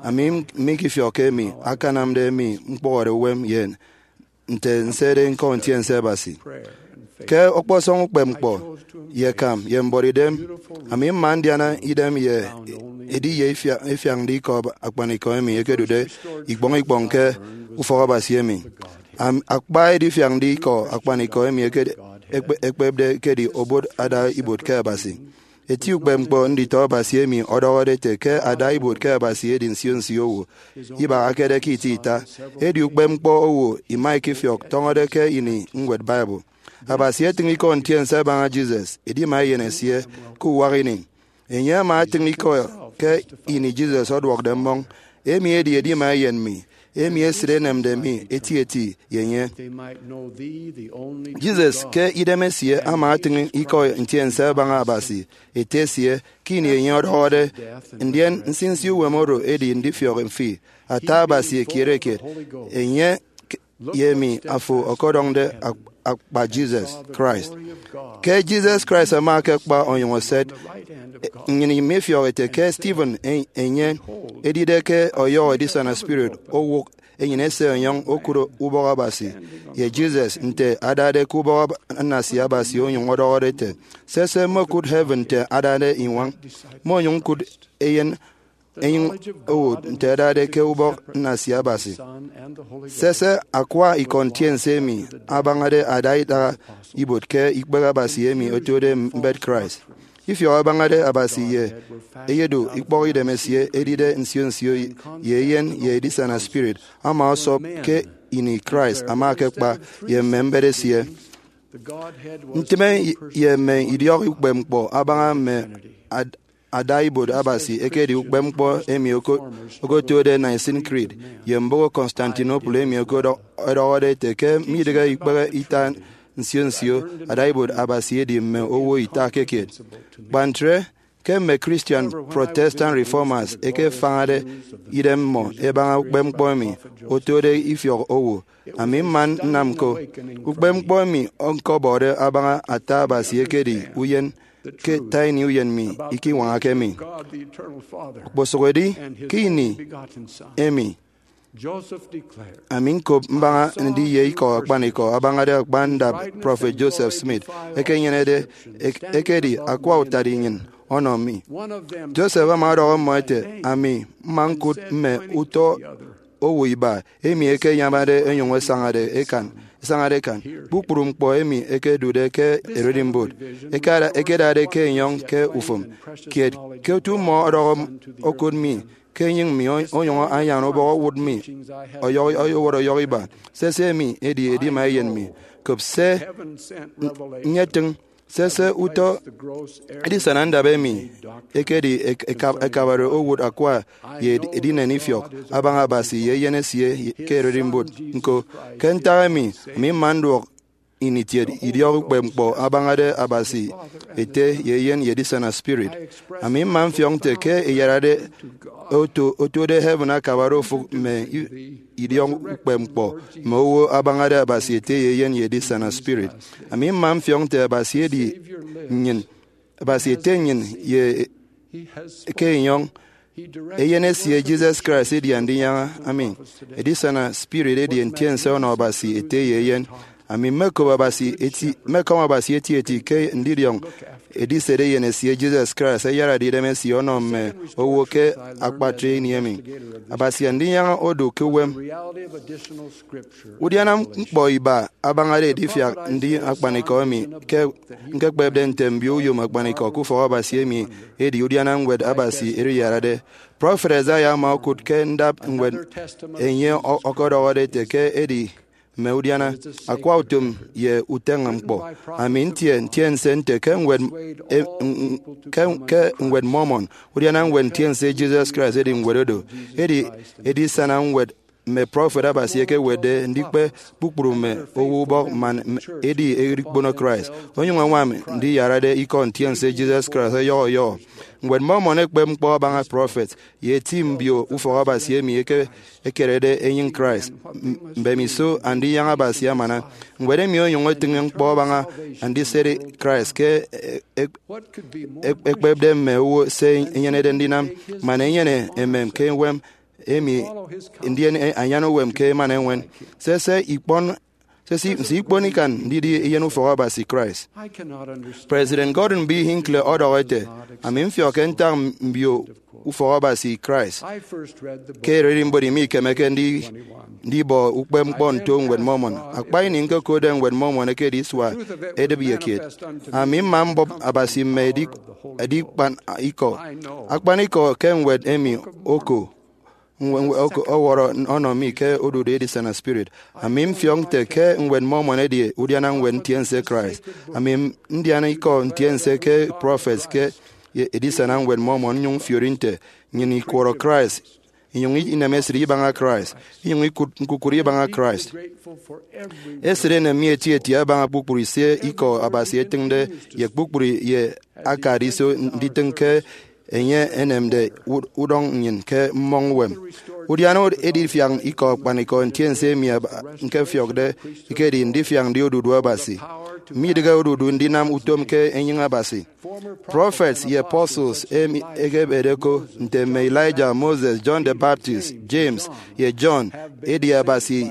Ami m- mikifiọkke emi akanamde mi ñkpụhọde uwem ye nte nsede ñkọ ntiense Abasi. Ke ọkpọsọñ ukpepñkpọ ye akam ye mbuọtidem, ami mma ndiana idem ye ediye ifia- ifiañde ikọ akpanikọ emi ekedude ikpọñ ikpọñ ke ufọk Abasi emi. Am- akpa edifiañde ikọ akpanikọ emi eke- ekpe- ekpepde ekedi obot ada ibuot ke Abasi. Eti ukpepñkpọ nditọ Abasi emi ọdọhọde ete ke ada ibuot ke Abasi edi nsio nsio owo, ibahakede ke ita ita. Edi ukpepñkpọ owo ima ikifiọk tọñọde ke ini ñwed Bible. Abasi etịñ ikọ ntiense abaña Jesus, edima eyen esie, ke uwak ini. Enye ama etịñ ikọ ke ini Jesus ọduọkde mmọñ, emi edi edima eyen mi, emi esịt enemde mi etieti ye enye. Jesus, ke idem esie, ama etịñ ikọ ntiense abaña Abasi, Ete esie, ke ini enye ọdọhọde, ndien nsinsi uwem oro edi ndifiọk fi, ata Abasi ekiet ekiet, enye ye emi afo ọkọdọñde ak- akpa Jesus Christ. Ke Jesus Christ ama akekpa onyụñ eset, nnyịn mifiọk ete ke Stephen e- enye edide ke ọyọhọ edisana spirit owụk enyịn ese ọnyọñ okụt ubọk Abasi, ye Jesus nte adade ke ubọk Ab- nnasia Abasi onyụñ ọdọhọde ete, sese, mmokụt heaven nte adade iñwañ, mmonyụñ ñkụt eyen enyịñ owụt nte adade ke ubọk nnasia Abasi. Sese, akwa ikọ ntiense emi abañade ada idaha ibuot ke ikpehe Abasi emi otode mbet Christ. Ifiọk abañade Abasi ye eyedu ikpọk idem esie edide nsio nsio ye eyen ye edisana spirit ama ọsọp ke ini Christ ama akekpa ye mme mbet esie. Ntịme ye mme idiọk ukpepñkpọ abaña mme ad- ada ibuot Abasi ekedi ukpepñkpọ emi oko- okotode Nicene Creed ye mbụk Constantinople emi okodọ- ọdọhọde ete ke midịghe ikpehe ita nsio nsio ada ibuot Abasi edi mme owo ita ke kiet. Kpa ntre, ke mme Christian Protestant Reformers ẹkefañade idem mmọ ẹbaña ukpepñkpọ emi otode ifiọk owo, ami mma nnam ñko. Ukpepñkpọ emi ñkọbọde abaña ata Abasi ekedi uyen, ke ata ini uyen mi ikiñwañake mi. Okposụkedi ke ini emi, ami ñkop mbaña ndiye ikọ akpanikọ abañade akpa ndap Prọfet Joseph Smith ekenyenede ek- ekedi akwa utade nnyịn ọnọ mi. Joseph ama ọdọhọ mmọ ete, ami mma ñkụt mme utọ owo iba emi ẹkenyamade ẹnyụñ ẹsañade ẹkan, ẹsañade ẹkan kpukpru ñkpọ emi ẹkedude ke ererimbot, ẹkada- ẹkedade ke enyọñ ke ufụm kiet. Ke otu mmọ ọdọhọ m- okụt mi ke enyịñ mi, onyụñ anyan ubọk owụt mi ọyọhọ, owot ọyọhọ iba. Sese emi edi edima eyen mi. Kop se nyetịñ. Sese utọ edisana ndap emi ekedi ek-, eka-, ekabare owụt akwa ye ed-, edinen ifiọk abaña Abasi ye Eyen esie ke ererimbot. Ñko, ke ntak emi, ami mma nduọk ini itiet idiọk ukpepñkpọ abañade Abasi Ete ye Eyen ye Edisana Spirit. Ami mma mfiọk nte ke iyarade oto, otuode heaven akabare ofụk mme i-, idiọk ukpepñkpọ mme owo abañade Abasi Ete ye Eyen ye Edisana Spirit. Ami mma mfiọk nte Abasi edi nnyịn, Abasi Ete nnyịn ye ke enyọñ. Eyen esie Jesus Christ edi Andinyaña ami. Edisana Spirit edi ntiense ọnọ Abasi Ete ye Eyen. Ami mmekop Abasi eti, mmekọm Abasi etieti ke ndidiọñ edisede Eyen esie Jesus Christ ayarade idem esie ọnọ mme owo ke akpatre ini emi. Abasi Andinyaña odu ke uwem. Udiana ñkpọ iba abañade edifiak ndi akpanikọ emi ke ñkekpepde nte mbio uyom akpanikọ ke ufọk Abasi emi edi udiana ñwed Abasi eriyarade. Prọfet Isaiah ama okụt ke ndap ñwed enye ọ-, ọkọdọhọde ete ke edi mme udiana akwa utom ye uteñe ñkpọ. Ami ntie ntiense nte ke ñwed, e, n-, n-, ke, ke ñwed Mormon, udiana ñwed ntiense Jesus Christ edi ñwed odo. Edi edisana ñwed mme prọfet Abasi ẹkewetde ndikpe kpukpru mme owo ubọk man m-, edi erikpono Christ, onyụñ añwam ndiyarade ikọ ntiense Jesus Christ ọyọhọ ọyọhọ. Ñwed Mormon ekpep ñkpọ abaña prọfet ye eti mbio ufọk Abasi emi eke-, ekerede enyịñ Christ. M-, mbemiso Andinyaña Abasi amana, ñwed emi onyụñ etịñ ñkpọ abaña andisede Christ ke e-, e-, e-, ekpepde mme owo se enyenede ndinam, man enyene emem ke uwem emi, ndien e-, anyan uwem ke emana eñwen. Sese ikpọn, sese, nse ikpon ikan ndidi eyen ufọk Abasi Christ. President Gordon B. Hinckley ọdọhọ ete, ami mfiọk ke ntak mbio ufọk Abasi Christ ke ererimbot mi ikemeke ndi-, ndibọ ukpepñkpọ nto ñwed Mormon. Akpa ini ñkokotde ñwed Mormon ekedi isua edịbiakiet. Ami mma mbọp Abasi mme edik-, edikpan ikọ. Akpanikọ ke ñwed emi oko ñwe-, ñwe-, oko-, ọwọrọ ọnọ mi ke odudu edisana spirit. Ami mfiọk nte ke ñwed Mormon edi udiana ñwed ntiense Christ. Ami m-, ndian ikọ ntiense ke prọfet ke edisana ñwed Mormon, nnyụñ mfiori nte nnyịn ikwọrọ Christ, inyụñ inem esịt ibaña Christ, inyụñ ikụt ñkukụre ibaña Christ. Esịt enem mi etieti abaña kpukpru se ikọ Abasi etịñde ye kpukpru ye akade iso nditịñ ke enye enemde u-, udọñ nnyịn ke mmọñ uwem. Udiana edifiak ikọ akpanikọ ntiense emi aba-, ñkefiọkde ekedi ndifiak ndi odudu Abasi. Midịghe odudu ndinam utom ke enyịñ Abasi. Prọfet ye apostles emi ẹkebede ko, nte mme Elijah, Moses, John the Baptist, James, ye John, edi Abasi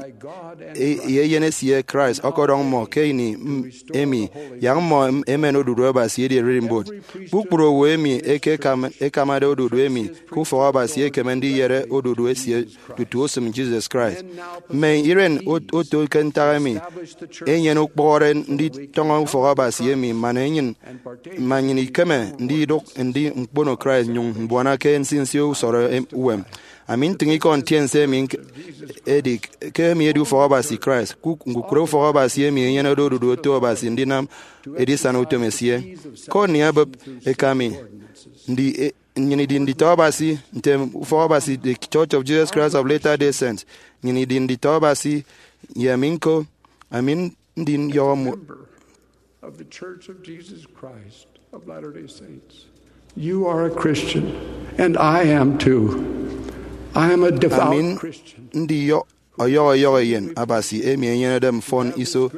e-, ye Eyen esie Christ ọkọdọñ mmọ ke ini m-, emi, yak mmọ em-, emen odudu Abasi edi ererimbot. Kpukpru owo emi eke ekam-, ekamade odudu emi ke ufọk Abasi ekeme ndiyere odudu esie tutu osịm Jesus Christ. Mme iren ot-, oto ke ntak emi enyene ukpọhọre nditọñọ ufọk Abasi emi man enyịn, man nnyịn ikeme ndidụk ndi ñkpono Christ nnyụñ mbuana ke nsinsi usọrọ em-, uwem. Ami ntịñ ikọ ntiense emi ñk-, edi, ke emi edi ufọk Abasi Christ. Kuk-, ñkukụre ufọk Abasi emi enyenede odudu oto Abasi ndinam edisana utom esie. Courtney ebịp eka mi, ndi, e, nnyịn idi nditọ Abasi, ntem ufọk Abasi, The Church of Jesus Christ of Latter-day Saints. Nnyịn idi nditọ Abasi, ye ami ñko, ami ndi nyọhọ mu- Member of the Church of Jesus Christ of Latter-day Saints. You are a Christian, and I am too. I am a devout Christian. Ami ndi yo-, ọyọhọ ọyọhọ eyen Abasi emi enyenede mfọn iso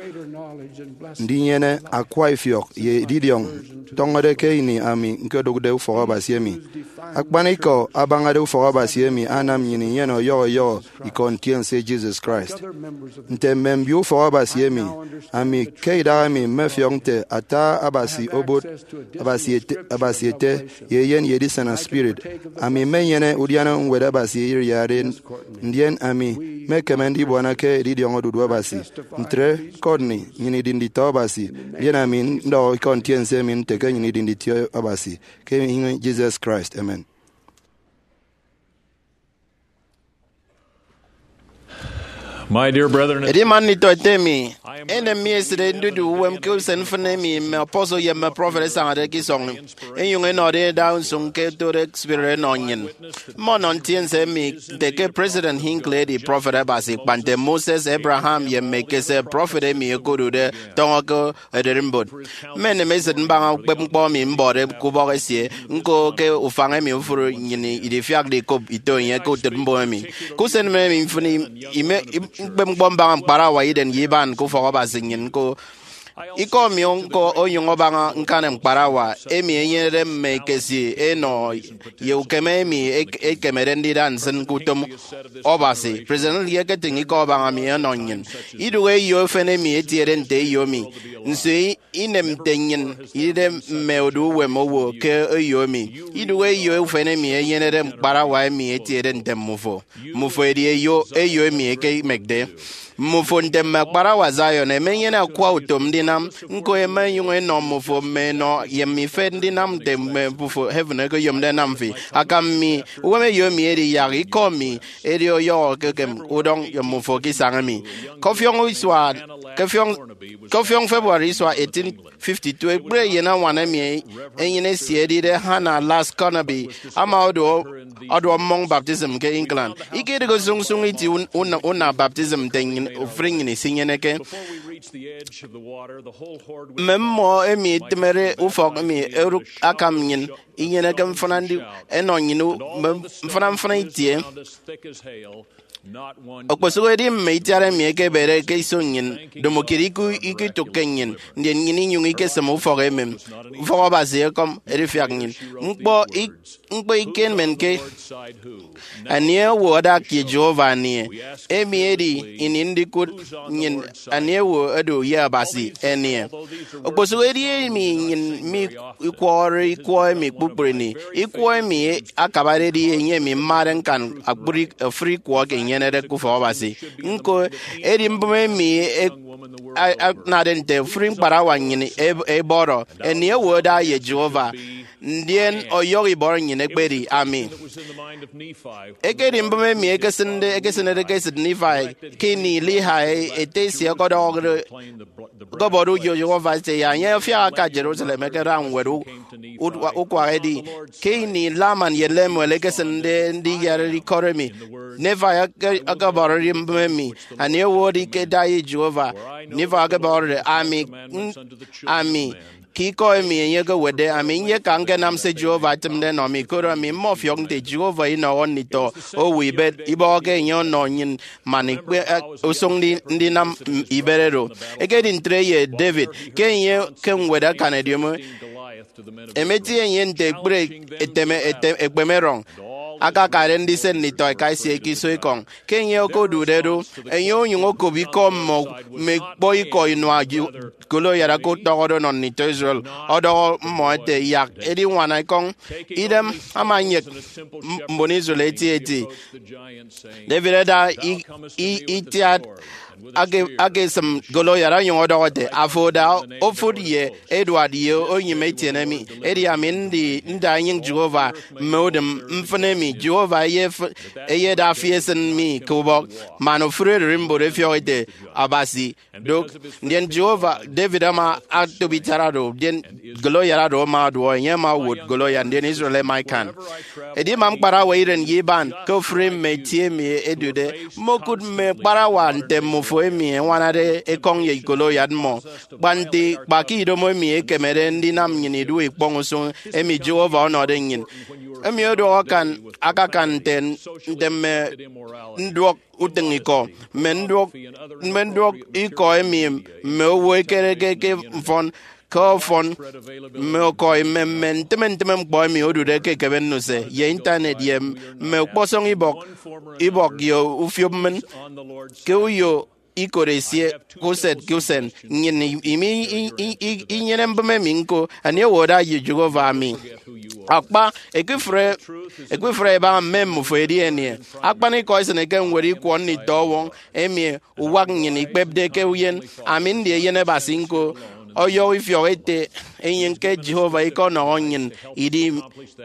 ndinyene akwa ifiọk ye edidiọñ tọñọde ke ini ami ñkodụkde ufọk Abasi emi. Akpanikọ abañade ufọk Abasi emi anam nnyịn inyene ọyọhọ ọyọhọ ikọ ntiense Jesus Christ. Nte mme mbio ufọk Abasi emi, ami ke idaha emi mmefiọk nte ata Abasi obot, Abasi Ete, Abasi Ete, ye Eyen ye Edisana Spirit. Ami mmenyene udiana ñwed Abasi eriyarade, ndien ami mmekeme ndibuana ke edidiọñ odudu Abasi. Ntre, Courtney, nnyịn idi nditọ Abasi, ndien ami ndọhọ ikọ ntiense emi nte ke nnyịn idi nditọ Abasi ke ini Jesus Christ. Amen. My dear brethren, edi man nditọ ete mi, enem mi esịt ndidu uwem ke usen mfịn emi mme apostle ye mme prophet ẹsañade ke isọñ, ẹnyụñ ẹnọde ẹda usụñ ke otode spirit ẹnọ nnyịn. Mmọnọ ntiense emi nte ke President Hinckley edi prophet Abasi, kpa nte Moses, Abraham, ye Melchizedek, prophet emi ẹkodude tọñọ ke ererimbot. Mmenem esịt mbaña ukpepñkpọ emi mbọde ke ubọk esie, ñko ke ufañ emi ofụri nnyịn idifiakde ikop ito enye ke utịt mbụme emi. Ke usen emi mfịn, ime ukpepñkpọ mbaña ñkparawa iden ye iban ke ufọk Abasi nnyịn ñko. Ikọ mi ñko onyụñ abaña ñkani ñkparawa emi enyenede mme ikesi enọ ye ukeme emi ek-, ekemede ndida nsịn ke utom Abasi. President Lee eketịñ ikọ abaña mi ọnọ nnyịn. Idụhe eyo efen emi etiede nte eyo mi. Nso i-, inem nte nnyịn idide mme odu uwem owo ke eyo emi? Idụhe eyo efen emi enyenede ñkparawa emi etiede nte mmufo. Mmufo edi eyo, eyo emi ẹkemekde. Mmufo nte mme akparawa Zion ẹmenyene akwa utom ndinam, ñko ẹma ẹnyụñ ẹnọ mmufo mme enọ ye mme ifet ndinam nte mme mbufo heaven ẹkeyomde ẹnam fi. Akam mi, uwem eyo mi edi yak ikọ mi edi ọyọhọ ekem udọñ ye mmufo ke isañ emi. Ke ọfiọñ isua, ke ọfiọñ, ke ọfiọñ February isua eighteen fifty-two, ekpri eyen añwan emi enyịn esie edide Hannah Lass Carnaby ama ọduọ, ọduọ mmọñ baptism ke England. Ikedịghe sụñsụñ iti un-, una, una baptism nte nnyịn, ofụri nnyịn isinyeneke. Mme mmọ emi itịmede ufọk emi erụk akam nnyịn inyeneke mfịna ndi ẹnọ nnyịn u-, mme mfịna mfịna itie. Okposụkedi mme itiat emi ẹkebede ke iso nnyịn, domo kiet iku-, ikutụkke nnyịn, ndien nnyịn inyụñ ikesịm ufọk emem. Ufọk Abasi ekọm edifiak nnyịn. Ñkpọ ik-, ñkpọ ikenmenke. Anie owo adak ye Jehovah anie? Emi edi ini ndikụt nnyịn anie owo odu ye Abasi enie. Okposụkedi emi nnyịn mi ikwọhọre ikwọ emi kpukpru ini, ikwọ emi akabade edi enye emi mmade ñkan akpri-, ofụri ikwọ eke inyenede ke ufọk Abasi. Ñko, edi mbụme emi e-, a-, anade nte ofụri ñkparawa nnyịn eb-, ebọrọ, anie owo ada ye Jehovah, ndien ọyọhọ ibọrọ nnyịn ekpedi ami. Ekedi mbụme emi ekesịnde, ekesịnede ke esịt Nephi ke ini Lehi ete esie ọkọdọhọde, ọkọbọde uyo Jehovah ete ya enye afiak aka Jerusalem ẹkeda ñwed u-, u-, ukwak edi. Ke ini Laman ye Lemuel ẹkesịnde ndiyarade ikọt emi, Nephi eke-, ọkọbọrọde mbụme emi, anie owo edi ke ada ye Jehovah? Nephi ọkọbọrọde, ami, n-, ami, ke ikọ emi enye ekewetde, ami nyeka ñkenam se Jehovah etịmde ẹnọ mi, koro ami mmọfiọk nte Jehovah inọhọ nditọ owo ibet, ibọhọke enye ọnọ nnyịn man ikpe, eh, usụñ ndi-, ndinam, mm, ibet oro. Ekedi ntre ye David, ke enye ke ñwed akan ediomi, emetie enye nte ekpri eteme, ete-, ekpemerọñ akakade ndise nditọ eka esie ke iso ekọñ. Ke enye okodude do, enye onyụñ okop ikọ mmọ mme ikpọ ikọ inua Ju-, Goliath aka utọhọde ọnọ nditọ Israel, ọdọhọ mmọ ete, yak ediñwana ekọñ. Idem ama nyek m-, mbon Israel eti eti. David ada i-, i-, itiat ake-, akesịm Goliath onyụñ ọdọhọ ete, afo da ofụt ye eduat ye onyịme etiene mi, edi ami ndi nda enyịñ Jehovah mme udịm mfịn emi. Jehovah eyef-, eyeda fi esịn mi ke ubọk. Man ofụri ererimbot efiọk ete, Abasi, dụk. Ndien Jehovah, David ama atop itiat oro, ndien Goliath oro ama ọduọ, enye ama owot Goliath, ndien Israel ẹma ẹkan. Edima ñkparawa iren ye iban ke ofụri mme itie emi ẹdude, mmokụt mme ñkparawa nte mmufo emi ẹñwanade ekọñ ye Goliath mmọ. Kpa nte, kpa ke idomo emi ekemede ndinam nnyịn idụhe ikpọñ usụñ emi Jehovah ọnọde nnyịn. Emi ọdọhọ akan, akakan nte, nte mme nduọk utịñikọ, mme nduọk, mme nduọk ikọ emi mme owo ẹkereke ke mfọn, ke ọfọn, mme ọkọi, mme, mme ntịme ntịme ñkpọ emi odude ke ekebe nnuse, ye intanet, ye mme ukpọsọñ ibọk, ibọk ye ufiopmmịn, ke uyo ikot esie, ke usen ke usen. Nnyịn i-, imi i-, i-, i-, inyene mbụme emi ñko, anie owo ada ye Jehovah ami? Akpa, ekifre, ekifre ibaña mme mmufo edi enie? Akpanikọ isịneke ñwed ikwọ nditọ ọwọñ emi uwak nnyịn ikpepde ke uyen, ami ndi eyen Abasi ñko. Ọyọhọ ifiọk ete, enyịñ ke Jehovah ikonọhọ nnyịn idi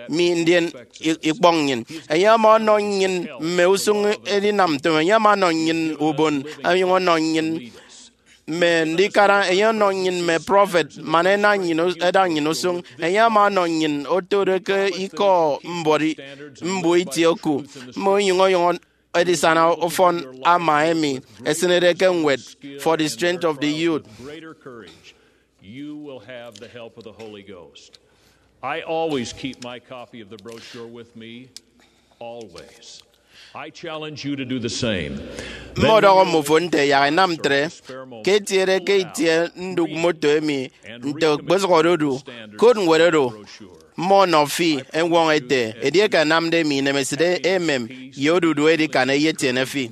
mi ndien i- ikpọñ nnyịn. Enye ama ọnọ nnyịn mme usụñ edinam utom. Enye ama ọnọ nnyịn ubon, onyụñ ọnọ nnyịn mme ndikara. Enye ọnọ nnyịn mme prọfet man ena nnyịn us- eda nnyịn usụñ. Enye ama ọnọ nnyịn otode ke ikọ mbuọt i- mbuo itie oku, mme onyụñ ọyọhọ edisana ufọn ama emi esịnede ke ñwed For the Strength of the Youth. You will have the help of the Holy Ghost. I always keep my copy of the brochure with me, always. I challenge you to do the same. Mmọdọhọ mmofo nte yak ẹnam ntre, ke etiede ke itie ndụk moto emi nte okposụkde odu, kot ñwed oro, mmọnọ fi eñwọñọ ete, edieke anamde emi inemesịt emem ye odudu edikan eyetiene fi.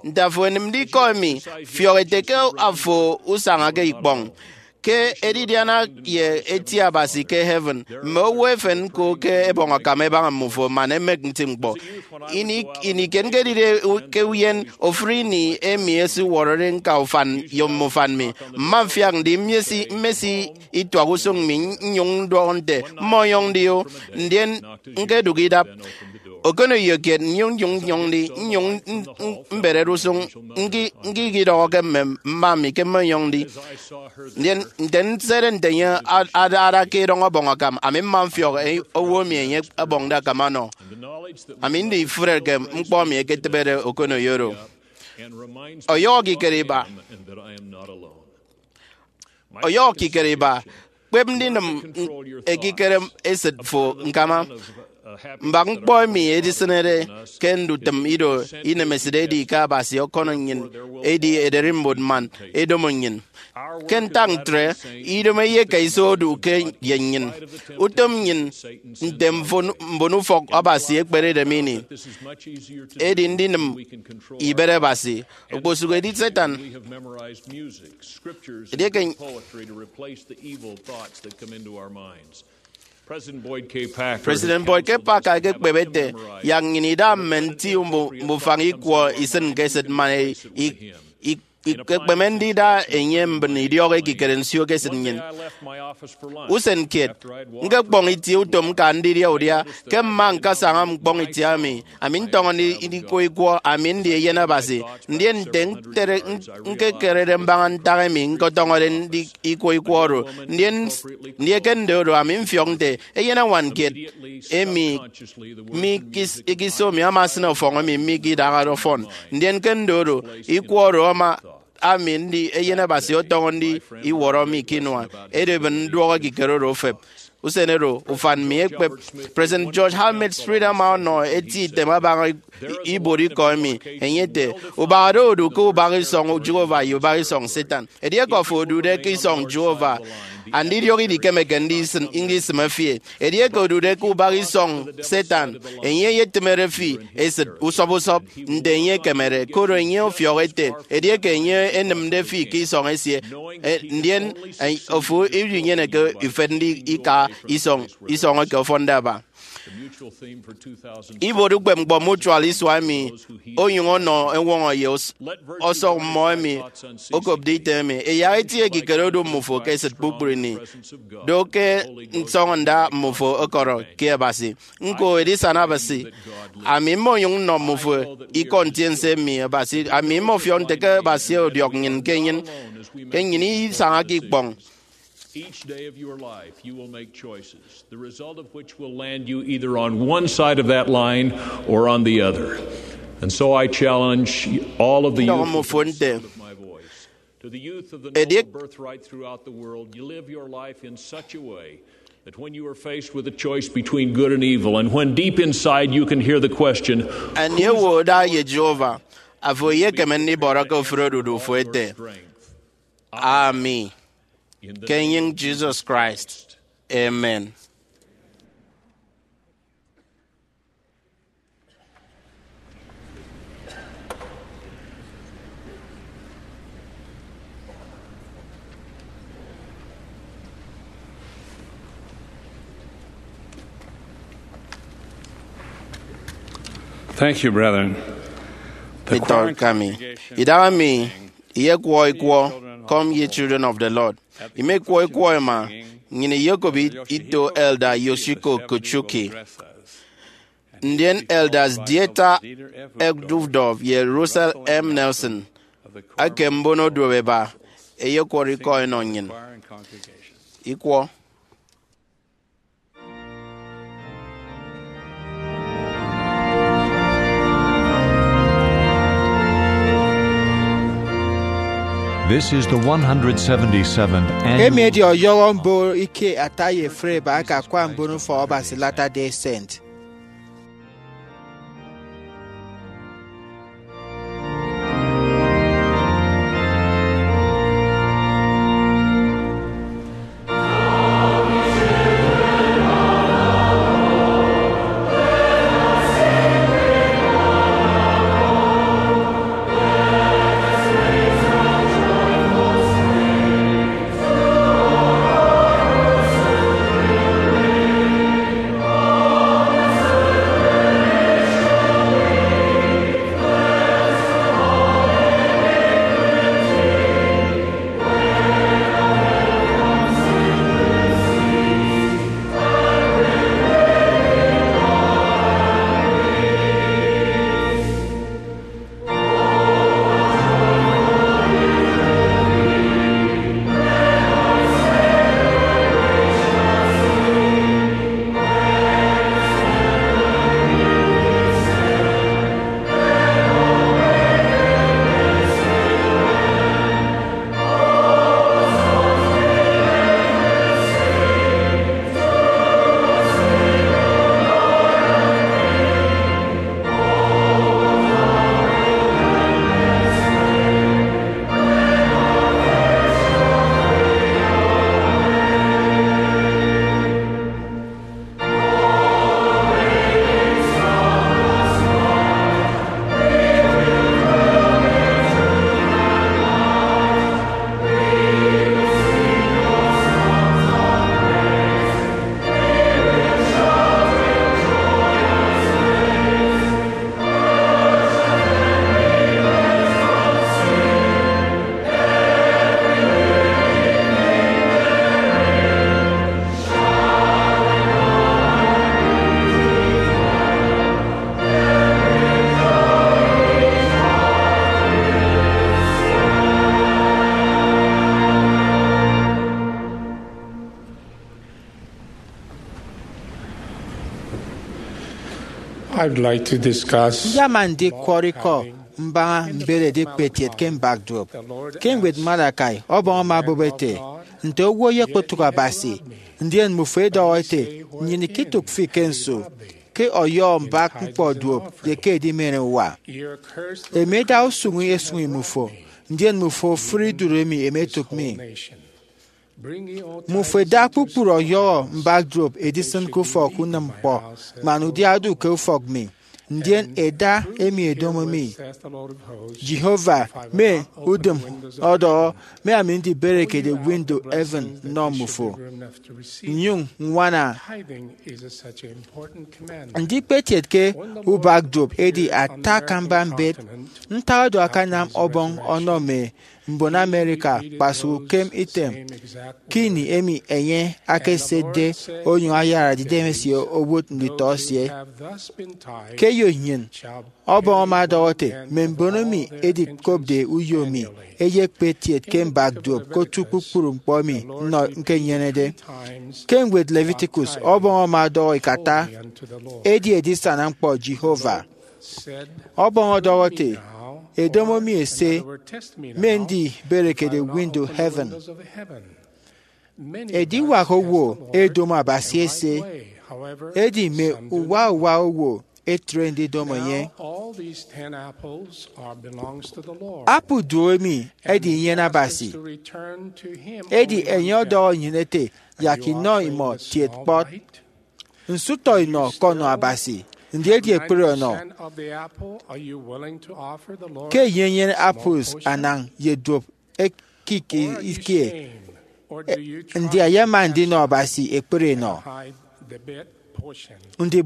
Nte afo enịmde ikọ emi, fiọk ete ke afo usañake ikpọñ ke edidiana ye eti Abasi ke heaven. Mme owo efen ñko ke ẹbọñ akam ẹbaña mmufo man ẹmek nti ñkpọ. Ini, ini kiet ñkedide ke uyen ofụri ini emi esiwọrọde ñka ufan ye mme ufan mi, mma mfiak ndi mmesi, mmesi ituak usụñ mi nnyụñ ndọhọ nte, mmọnyọñ ndi o, ndien ñkedụk idap. Okoneyo kiet nnyụñ nnyụñ nnyọñ ndi, nnyụñ n- n- mberede usụñ, ñki- ñkikidọhọ ke mme mma mi ke mmọnyọñ ndi. Ndien nte nsede nte enye a- ada ada ke idọñ ọbọñ akam, ami mma mfiọk e- owo emi enye ọbọñde akam ọnọ. Ami ndi ifụre ke ñkpọ emi eketịbede okoneyo oro. Ọyọhọ ekikere iba. Ọyọhọ ekikere iba, kpep ndinịm ekikere esịt fo ñkama. Mbak ñkpọ emi edisịnede ke ndutịm ido inemesịt edi ke Abasi ọkọnọ nnyịn edi ederimbot man edomo nnyịn. Ke ntak ntre, idomo eyeka iso odu ke ye nnyịn. Utom nnyịn nte mbon, mbonufọk Abasi ekperede mi ini edi ndinịm ibet Abasi, okposụk edi Satan. Edieke President Boyd K. Packer President Boyd K. Packer ekekpep ete, yak nnyịn ida mme nti mbu- mbufañ ikwọ isịn ke esịt man e- i- i- ikekpeme ndida enye mbịn idiọk ekikere nsio ke esịt nnyịn. Usen kiet, ñkekpọñ itie utom ñka ndidia udia. Ke mma ñkasaña ñkpọñ itie ami, ami ntọñọ ndi- ndikwo ikwọ, ami ndi eyen Abasi. Ndien nte ñkere- ñkekerede mbaña ntak emi ñkọtọñọde ndi- ikwo ikwọ oro, ndien s- ndi eke nde oro, ami mfiọk nte eyenañwan kiet emi mi ikis- ikiso mi ama asịn ọfọñ emi mi ikidahade ọfọn. Ndien ke nde oro, ikwọ oro ama ami ndi eyen Abasi ọtọñọ ndi iwọrọ mi ke inua. Edibịn nduọk ekikere oro ofep. Usen oro, ufan mi ekpep. President George Helmet Smith ama ọnọ eti item abaña i- ibuot ikọ emi. Enye ete, ubahade odu ke ubak isọñ Jehovah ye ubak isọñ Satan. Edieke afo odude ke isọñ Jehovah, andidiọk idikemeke ndisịn- ndisịme fi. Edieke odude ke ubak isọñ Satan, enye eyetịmede fi esịt usọp usọp nte enye ekemede, koro enye ọfiọk ete, edieke enye enịmde fi ke isọñ esie, e, ndien, e, ofo idinyeneke ifet ndi ika isọñ, isọñ eke ọfọnde aba. Ibuot ukpepñkpọ Mutual isua emi onyụñ ọnọ eñwọñọ ye os- ọsọk mmọ emi okopde item emi, eyak eti ekikere odu mmufo ke esịt kpukpru ini. Do ke nsọñọnda mmufo ọkọrọ ke Abasi. Ñko, edisana Abasi, ami mmonyụñ nnọ mmufo ikọ ntiense emi Abasi, ami mmọfiọk nte ke Abasi ọdiọk nnyịn ke nnyịn, ke nnyịn isañake ikpọñ. Each day of your life, you will make choices, the result of which will land you either on one side of that line or on the other. And so I challenge all of the youth within the sound of my voice. To the youth of the noble birthright throughout the world, you live your life in such a way that when you are faced with a choice between good and evil, and when deep inside you can hear the question, anie owo da ye Jehovah, afo eyekeme ndibọrọ ke ofụri odudu fo ete, ami. Ke enyịñ Jesus Christ. Amen. Thank you, brethren. The Corinth congregation, idaha mi iyekwọ ikwọ. Come, ye children of the Lord. Imekwọ ikwọ ima, nnyịn iyokop it-, ito Elder Yoshiko Kochuki. Ndien Elders Dieter F. Dubdorf ye Russell M. Nelson eke mbono duop eba, ẹyekwọrọ ikọ ẹnọ nnyịn. Ikwọ. This is the one hundred seventy-seventh annual. Emi edi ọyọhọ mbon ike ata ye efre eba aka akwa mbon ufọk Abasi Latter-day Saint. I'd like to discuss Ndi ama ndikwọrọ ikọ mbaña mberede ekpetiet ke mbak duop. Ke ñwed Malachi, Ọbọñ ama obụp ete, "Nte owo eyekpotụk Abasi, ndien mmufo edọhọ ete, 'Nnyịn ikitụk fi ke nso? Ke ọyọhọ mbak ñkpọ duop ye ke edimere uwa. Emi eda usụñ esụñi mmufo, ndien mmufo ofụri idụt emi emetụk mi.' Mmufo eda kpukpru ọyọhọ mbak duop edisịn ke ufọk unịm ñkpọ, man udia odu ke ufọk mi, ndien eda emi edomo mi. Jehovah, mme udịm ọdọhọ, mme ami ndiberekede window heaven nnọ mmufo, nnyụñ ññwana." Ndi ekpetiet ke ubak duop edi ata akamba mbet? Ntak oro akanam Ọbọñ ọnọ mme mbon America kpasụk ukem item ke ini emi enye akasetde onyụñ ayarade idemesie owot nditọ esie. Ke eyo nnyịn, Ọbọñ ama ọdọhọ ete, "Mme mbon emi ẹdikopde uyo mi ẹyekpe etiet ke mbak duop ke otu kpukpru ñkpọ emi nnọ ñkenyenede." Ke ñwed Leviticus, Ọbọñ ama ọdọhọ ikata, "Edi edisana ñkpọ Jehovah." Ọbọñ ọdọhọ ete, "Edomo mi ese, mme ndiberekede window heaven." Ediwak owo edomo Abasi ese, edi mme uwa uwa owo etre ndidomo enye. Apple duo emi edi inyene Abasi, edi enye ọdọhọ nnyịn ete, "Yak inọ imọ tiet kpọt. Nsụtọ inọ kọnọ Abasi, ndi edi ekpri ọnọ?" Ke enye enyene apples anañ ye duop ekik ikie, ndi ayama ndinọ Abasi ekpri enọ? Ndi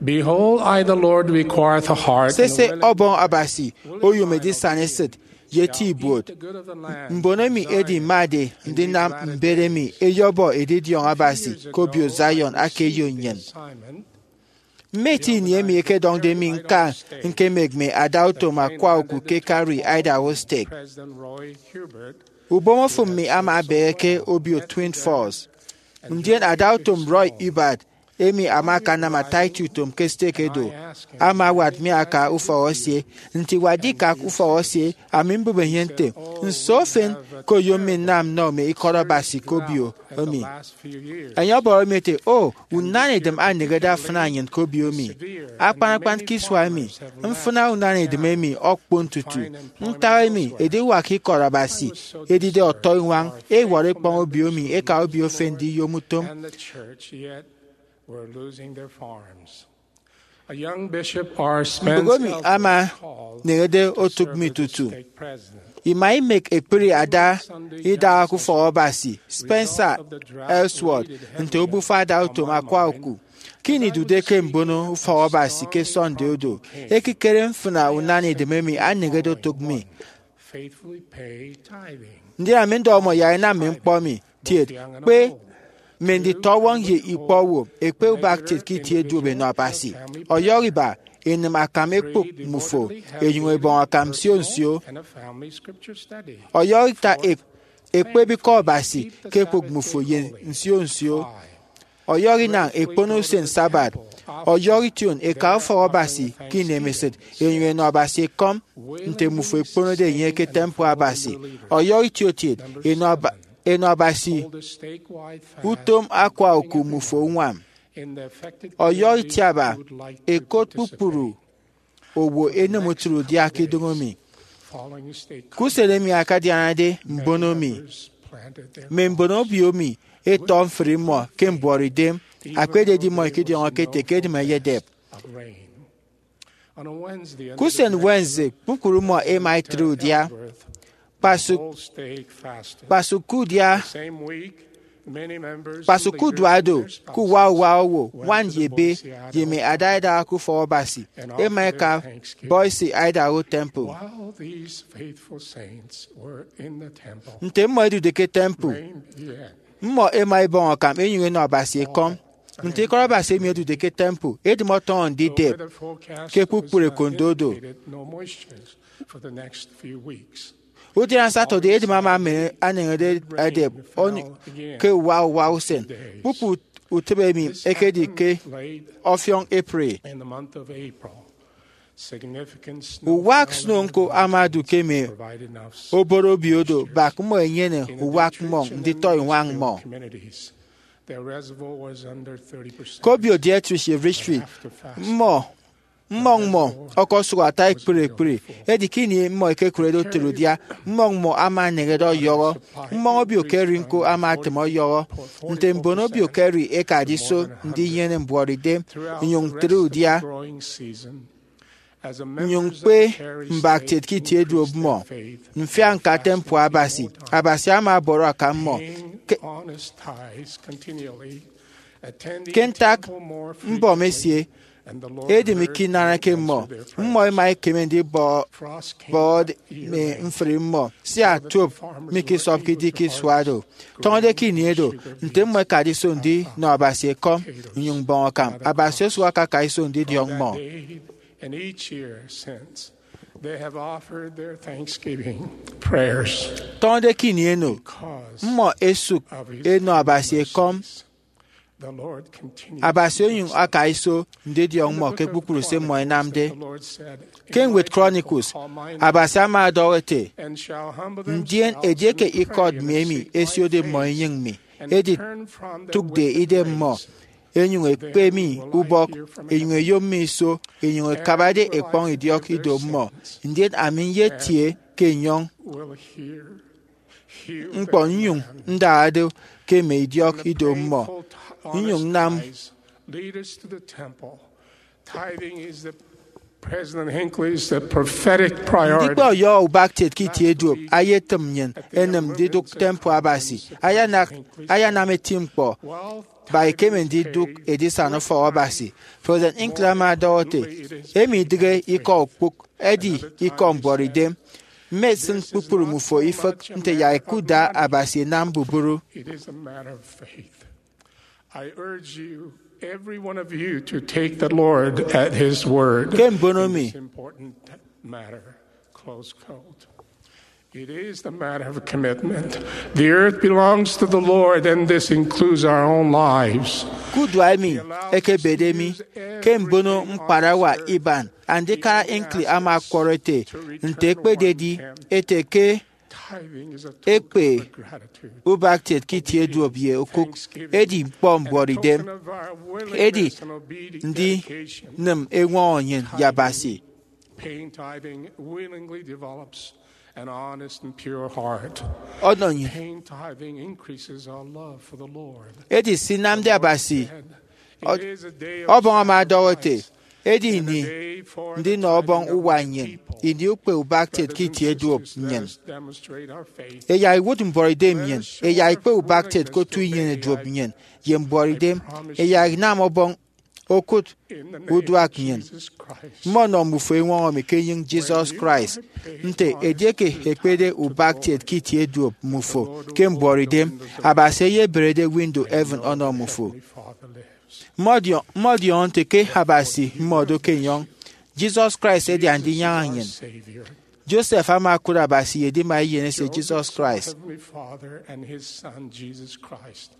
Behold, I, the Lord, requireth a heart. Sese, Ọbọñ Abasi oyom edisana esịt ye eti ibuot. Mbon emi ẹdimade ndinam mbet emi ẹyọbọ edidiọñ Abasi ke obio Zion aka eyo nnyịn. Mme eti ini emi ẹkedọñde mi ñka ñkemek mme adautom akwa oku ke Cary, Idaho State. Ubom ofụm mi ama ebehe ke obio Twin Falls, ndien adautom Roy Hubbard, emi ama akanam ata eti utom ke stek edo, ama awat mi aka ufọk esie. Nte iwakde ikak ufọk esie, ami mbụp enye nte, nso efen ke oyom mi nnam nnọ mme ikọt Abasi ke obio emi? Enye ọbọrọ mi ete, O, unañidem anehede afịna nnyịn ke obio emi. Akpan akpan ke isua emi, mfịna unañidem emi ọkpon tutu. Ntak emi ediwak ikọt Abasi edide ọtọiñwañ ẹwọrọ ikpọñ obio emi ẹka obio efen ndiyom utom? Mbụk emi ama eneñede otụk mi tutu. Ima imek ekpri ada idaha ke ufọk Abasi, Spencer Ellsworth, nte obufa adautom akwa oku. Ke ini idude ke mbono ufọk Abasi ke Sunday odo, ekikere mfịna unañidem emi aneñede otụk mi. Ndien ami ndọhọ mmọ yak ẹnam mme ñkpọ emi, Tiet, kpe mme nditọwọñ ye ikpọ owo ẹkpe ubak kiet ke itie duop ẹnọ Abasi. Ọyọhọ iba, ẹnịm akam ẹkpụk mmufo, ẹnyụñ ẹbọñ akam nsio nsio. Ọyọhọ ita, ẹkpep ikọ Abasi ke ẹkpụk mmufo ye nsio nsio. Ọyọhọ inañ, ẹkpono usen Sabbath. Ọyọhọ ition, ẹka ufọk Abasi ke inemesịt, ẹnyụñ ẹnọ Abasi ekọm, nte mmufo ẹkponode enye ke temple Abasi. Ọyọhọ itiokiet, ẹnọ Abasi utom akwa oku mmufo uñwam. Ọyọhọ itiaba, ẹkot kpukpru owo ẹnịm utịre udia ke idụñọ mi. Ke usen emi akadianade mbono mi, mme mbon obio mi ẹtọ mfri mmọ ke mbuọtidem, akpededi mmọ ikediọñọke ete ke edịm eyedep. Ke usen Wednesday, kpukpru mmọ ẹma ẹtre udia. Kpasụk, kpasụk ke udia, kpasụk ke uduak do, ke uwa uwa owo, ñwan ye ebe, ye mme adaidaha ke ufọk Abasi ẹma ẹka Boise, Idaho Temple. Nte mmọ ẹdude ke temple, mmọ ẹma ẹbọñ akam ẹnyụñ ẹnọ Abasi ekọm. Nte ikọt Abasi emi ẹdude ke temple, edịm ọtọñọ ndidep ke kpukpru ekondo do. Udiana Saturday, edịm ama eneñede edep ke uwa uwa usen. Kpukpru utịp emi ekedi ke ọfiọñ April. Uwak snow ñko ama odu ke mme obot obio do bak mmọ ẹnyene uwak mmọñ nditọiñwañ mmọ. Ke obio Dietrich ye Richfield, mmọ mmọñ mmọ ọkọsụk ata ekpri ekpri, edi ke ini mmọ ẹkekụrede utịre udia, mmọñ mmọ ama ẹneñede ọyọhọ. Mmọñ obio Cary ñko ama etịm ọyọhọ. Nte mbon obio Cary ẹkade iso ndinyene mbuọtidem nnyụñ ntre udia, nnyụñ ñkpe mbak kiet ke itie duop mmọ, mfiak ñka temple Abasi, Abasi ama ọbọrọ akam mmọ. Ke ntak mbọm esie, edịm ikinanake mmọ, mmọ ẹma ẹkeme ndibọbọde mme mfri mmọ, sia tuop mikisọpke idi ke isua do. Tọñọde ke ini edo, nte mmọ ẹkade iso ndinọ Abasi ekọm nnyụñ mbọñ akam, Abasi osụk akaka iso ndidiọñ mmọ. Tọñọde ke ini eno, mmọ ẹsụk ẹnọ Abasi ekọm, Abasi onyụñ aka iso ndidiọñ mmọ ke kpukpru se mmọ ẹnamde. Ke ñwed Chronicles, Abasi ama ọdọhọ ete, Ndien edieke ikọt mi emi ẹsiode mmọ enyịñ mi, editụkde idem mmọ, ẹnyụñ ẹkpe mi ubọk, ẹnyụñ ẹyom mi iso, ẹnyụñ ẹkabade ẹkpọñ idiọk ido mmọ, ndien ami nyetie ke enyọñ ñkpọ nnyụñ ndaha do ke mme idiọk ido mmọ, nnyụñ nnam President Hinckley's the prophetic priority. Ndikpe ọyọhọ ubak kiet ke itie duop ayetịm nnyịn ẹnịm ndidụk temple Abasi. Ayanak, ayanam eti ñkpọ ba ekeme ndidụk edisana ufọk Abasi. President Hinckley ama ọdọhọ ete, emi idịghe ikọ okpụk, edi ikọ mbuọtidem. Mmesịn kpukpru mmufo ifịk nte yak ẹkuda Abasi ẹnam mbubru. It is a matter of faith. I urge you, every one of you, to take the Lord at his word. Ke mbono mi, important matter. Close quote. It is the matter of commitment. The earth belongs to the Lord, and this includes our own lives. Ke udua emi ekebede mi ke mbono ñkparawa iban, Andikara Hinckley ama ọkwọrọ ete, nte ekpededi ete ke ekpe ubak kiet ke itie duop ye okụk edi ñkpọ mbuọtidem, edi ndinịm eñwọñọ nnyịn ye Abasi. Paying tithing willingly develops an honest and pure heart. Ọnọ nnyịn. Paying tithing increases our love for the Lord. Edi sinamde Abasi, It is a day of ọbọñ ama ọdọhọ ete, sacrifice edi ini ndinọ ọbọñ uwa nnyịn, ini ukpe ubak kiet ke itie duop nnyịn. Eyak iwụt mbuọtidem nnyịn, eyak ikpe ubak kiet ke otu inyene duop nnyịn, ye mbuọtidem, eyak inam ọbọñ okụt uduak nnyịn. Mmọnọ mmufo eñwọñọ mi ke enyịñ Jesus Christ, nte edieke ekpede ubak kiet ke itie duop mmufo ke mbuọtidem, Abasi eyeberede window heaven ọnọ mmufo. Mmọdiọñ, mmọdiọñọ nte ke Abasi mmọdo ke enyọñ. Jesus Christ edi Andinyaña nnyịn. Joseph ama okụt Abasi ye edima eyen esie Jesus Christ. Heavenly Father and his Son, Jesus Christ.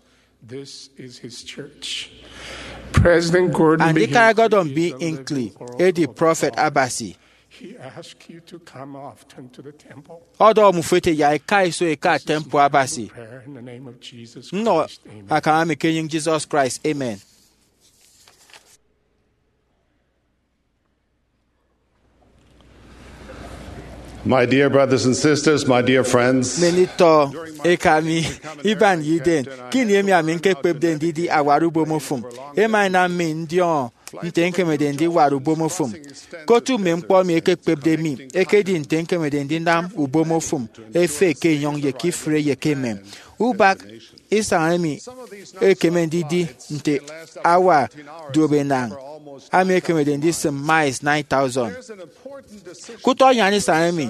This is his church. President Gordon B. Andikara Gordon B. Hinckley edi prọfet Abasi. He asked you to come often to the temple. Ọdọhọ mmufo ete yak ẹka iso ẹka temple Abasi. Prayer in the name of Jesus Christ. Nnọ akam ami ke enyịñ Jesus Christ. Amen. My dear brothers and sisters, my dear friends, Mmenitọ eka mi, iban ye iden, ke ini emi ami ñkekpepde ndidi awat ubomofụm, ema enam mi ndiọñọ nte ñkemede ndiwat ubomofụm. Ke otu mme ñkpọ emi ẹkekpepde mi ekedi nte ñkemede ndinam ubomofụm efe ke enyọñ ye ke ifụre ye ke emem. Ubak isañ emi ekeme ndidi nte awa duop enañ, ami ekemede ndisịm miles nine thousand. Ke utọ anyan isañ emi,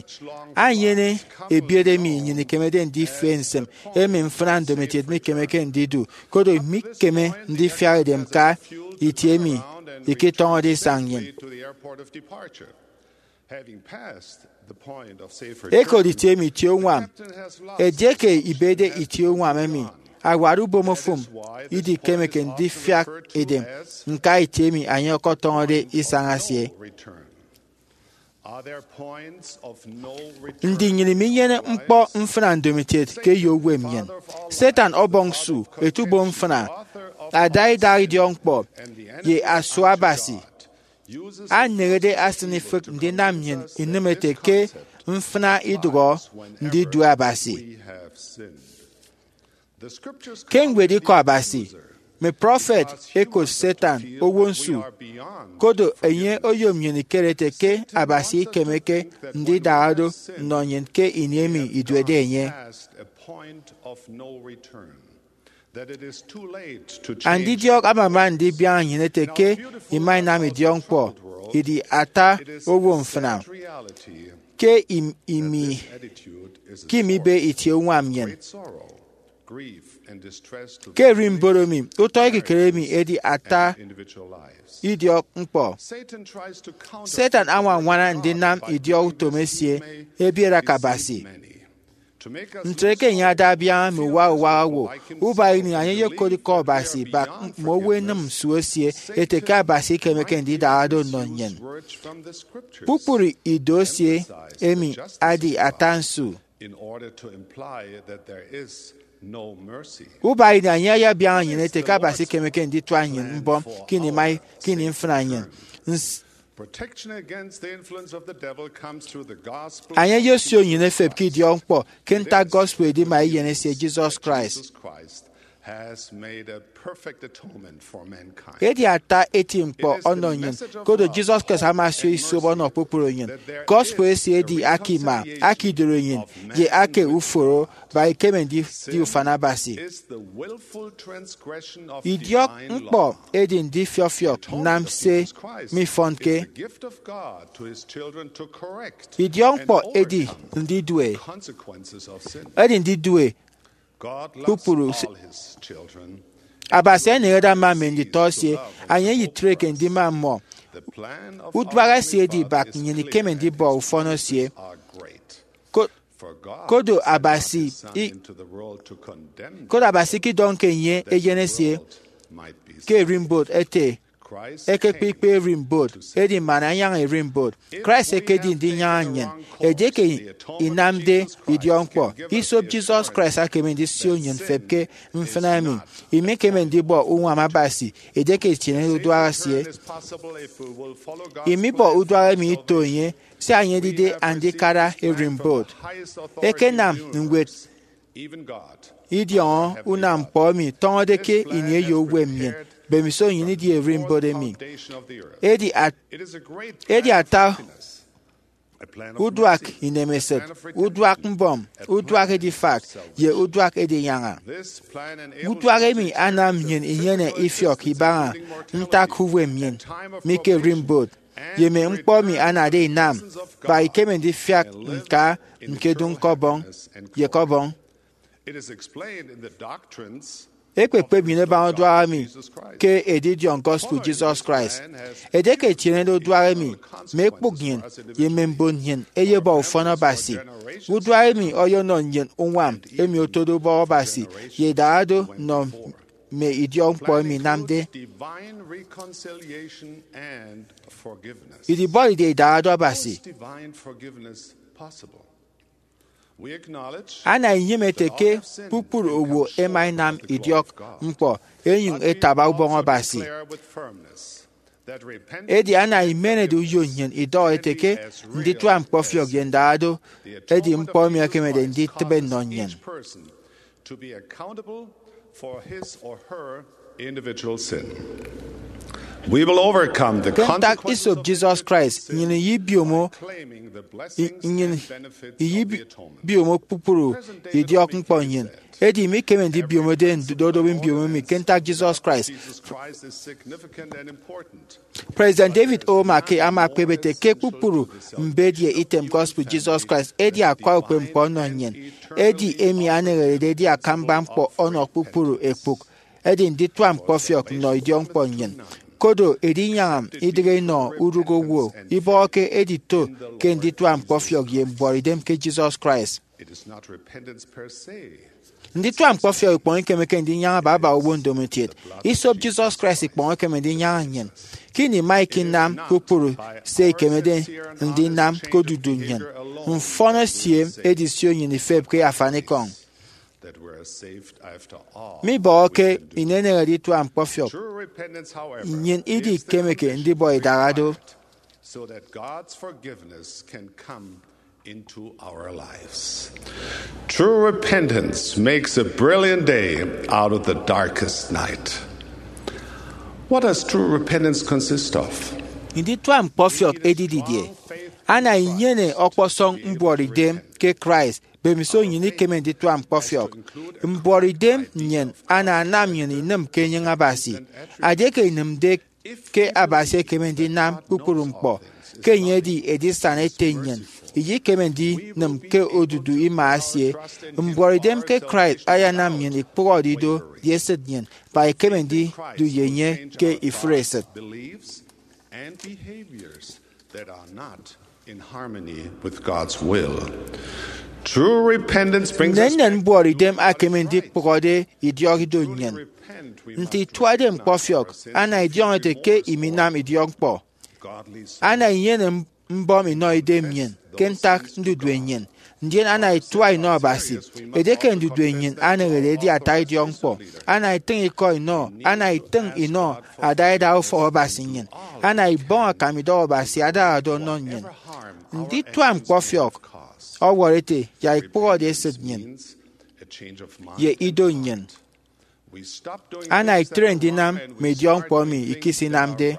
enyene ebiet emi nnyịn ikemede ndife nsịm, emi mfịna ndomokiet mikemeke ndidu, koro mikeme ndifiak edem ka itie emi iketọñọde isañ nnyịn. Ekot itie emi itie uñwam. Edieke ibede itie uñwam emi, awat ubomofụm idikemeke ndifiak edem ñka itie emi enye ọkọtọñọde isañ esie. Ndi nnyịn iminyene ñkpọ mfịna ndomokiet ke eyo uwem nnyịn? Satan ọbọñ su, etubom mfịna, ada idak idiọkñkpọ, ye asua Abasi anehede asịn ifịk ndinam nnyịn inịm ete ke mfịna idụhọ ndidue Abasi. Ke ñwed Ikọ Abasi, mme prọfet ẹkot Satan owo nsu, koro enye oyom nnyịn ikere ete ke Abasi ikemeke ndidara do nnọ nnyịn ke ini emi iduede enye. Andidiọk amama ndibiaña nnyịn ete ke ima inam idiọkñkpọ idi ata owo mfịna ke im- imi ke imibe itie uñwam nnyịn. Ke erịmbot emi, utọ ekikere emi edi ata idiọkñkpọ. Satan añwañwana ndinam idiọk utom esie ebiere ke Abasi. Ntre ke enye ada abiaña mme uwak uwak owo, ubak ini enye eyekot Ikọ Abasi bak mme owo enịm nsu esie ete ke Abasi ikemeke ndidara do nnọ nnyịn. Kpukpru ido esie emi adi ata nsu. Ubak ini enye ayabiaña nnyịn ete ke Abasi ikemeke nditua nnyịn mbọm ke ini mai ke ini mfịna nnyịn. Enye eyesio nnyịn efep ke idiọkñkpọ ke ntak gospel edima eyen esie Jesus Christ. Edi ata eti ñkpọ ọnọ nnyịn, koro Jesus Christ ama asio isop ọnọ kpukpru nnyịn. Gospel esie edi aka ima, aka idoroinnyin, ye aka uforo, ba ikeme ndidi ufan Abasi. Idiọk ñkpọ edi ndifiọfiọk nnam se mifọnke. Idiọk ñkpọ edi ndidue, edi ndidue kpukpru se Abasi eneñede ama mme nditọ esie, enye eyetreke ndima mmọ. Uduak esie edi ibak, nnyịn ikeme ndibọ ufọn esie. Ko- kodo Abasi i- kodo Abasi ikidọñke enye Eyen esie ke erimbot ete, ekekpe ikpe erimbot, edi man anyaña erimbot. Christ ekedi ndinyaña nnyịn. Edieke inamde idiọkñkpọ, isop Jesus Christ ekeme ndisio nnyịn mfep ke mfịna emi. Imikeme ndibọ uñwam Abasi edieke itienede uduak esie. Imibọ uduak emi ito enye, sia enye edide andikara erimbot. Ekenam ñwed idiọñọ unam ñkpọ emi tọñọde ke ini eyo uwem nnyịn, mbemiso nnyịn idi erimbot emi. Edi at- edi ata uduak inemesịt, uduak mbọm, uduak edifak, ye uduak edinyaña. Uduak emi anam nnyịn inyene ifiọk ibaña ntak uwem nnyịn mi ke erimbot, ye mme ñkpọ emi anade inam, ba ikeme ndifiak ñka ñkedu ñkọbọñ ye ekọbọñ. Ekpekpep nnyịn ebaña uduak emi ke edidiọñ gospel Jesus Christ. Edieke etienede uduak emi, mme ekpụk nnyịn ye mme mbon nnyịn eyebọ ufọn Abasi. Uduak emi ọyọnọ nnyịn uñwam emi otode ubọk Abasi ye idaha-do nnọ mme idiọkñkpọ emi inamde idibọride idaha-do Abasi. Ana inyịme ete ke kpukpru owo ẹma ẹnam idiọk ñkpọ ẹnyụñ ẹtaba ubọñ Abasi. Edi ana imenede uyo nnyịn idọhọ ete ke nditua ñkpọfiọk ye ndaha-do edi ñkpọ emi ẹkemede nditịbe nnọ nnyịn. Ke ntak isop Jesus Christ, nnyịn iyibiomo i- nnyịn iyibiomo kpukpru idiọk ñkpọ nnyịn. Edi imikeme ndibiomode ndodobi mbiomo emi ke ntak Jesus Christ. President David O. McKay ama ekpep ete ke kpukpru mbet ye item gospel Jesus Christ edi akwa ukpepñkpọ ọnọ nnyịn, edi emi aneñerede edi akamba ñkpọ ọnọ kpukpru ekpụk, edi nditua ñkpọfiọk nnọ idiọkñkpọ nnyịn. Kodo edinyaña idịghe inọ urụk owo, ibọhọke edito ke nditua ñkpọfiọk ye mbuọtidem ke Jesus Christ. Nditua ñkpọfiọk ikpọñ ikemeke ndinyaña baba owo ndomokiet. Isop Jesus Christ ikpọñ ekeme ndinyaña nnyịn. Ke ini ima ikinam kpukpru se ikemede ndinam ke odudu nnyịn, mfọn esie edisio nnyịn ifep ke afanikọñ. Mibọhọke ineneñede itua ñkpọfiọk, nnyịn idi ikemeke ndibọ idaha-do. True repentance makes a brilliant day out of the darkest night. What does true repentance consist of? Nditua ñkpọfiọk edi didie? Ana inyene ọkpọsọñ mbuọtidem ke Christ, mbemiso nnyịn ikeme nditua ñkpọfiọk. Mbuọtidem nnyịn ana anam nnyịn inịm ke enyịñ Abasi. Edieke inịmde ke Abasi ekeme ndinam kpukpru ñkpọ, ke enye edi edisana ete nnyịn, iyikeme ndinịm ke odudu ima esie. Mbuọtidem ke Christ ayanam nnyịn ikpụhọde ido ye esịt nnyịn, ba ikeme ndidu ye enye ke ifụre esịt. Nnennen mbuọtidem ekeme ndikpụhọde idiọk ido nnyịn. Nte ituade ñkpọfiọk, ana idiọñọ ete ke iminam idiọkñkpọ. Ana inyene mbọm inọ idem nnyịn ke ntak ndudue nnyịn, ndien ana itua inọ Abasi. Edieke ndudue nnyịn aneñede edi ata idiọkñkpọ, ana itịñ ikọ inọ, ana itịñ inọ adaida ufọk Abasi nnyịn, ana ibọñ akam idọhọ Abasi adaha-do ọnọ nnyịn. Nditua ñkpọfiọk ọwọrọ ete ya ikpụhọde esịt nnyịn ye ido nnyịn. Ana itre ndinam mme idiọkñkpọ emi ikisinamde.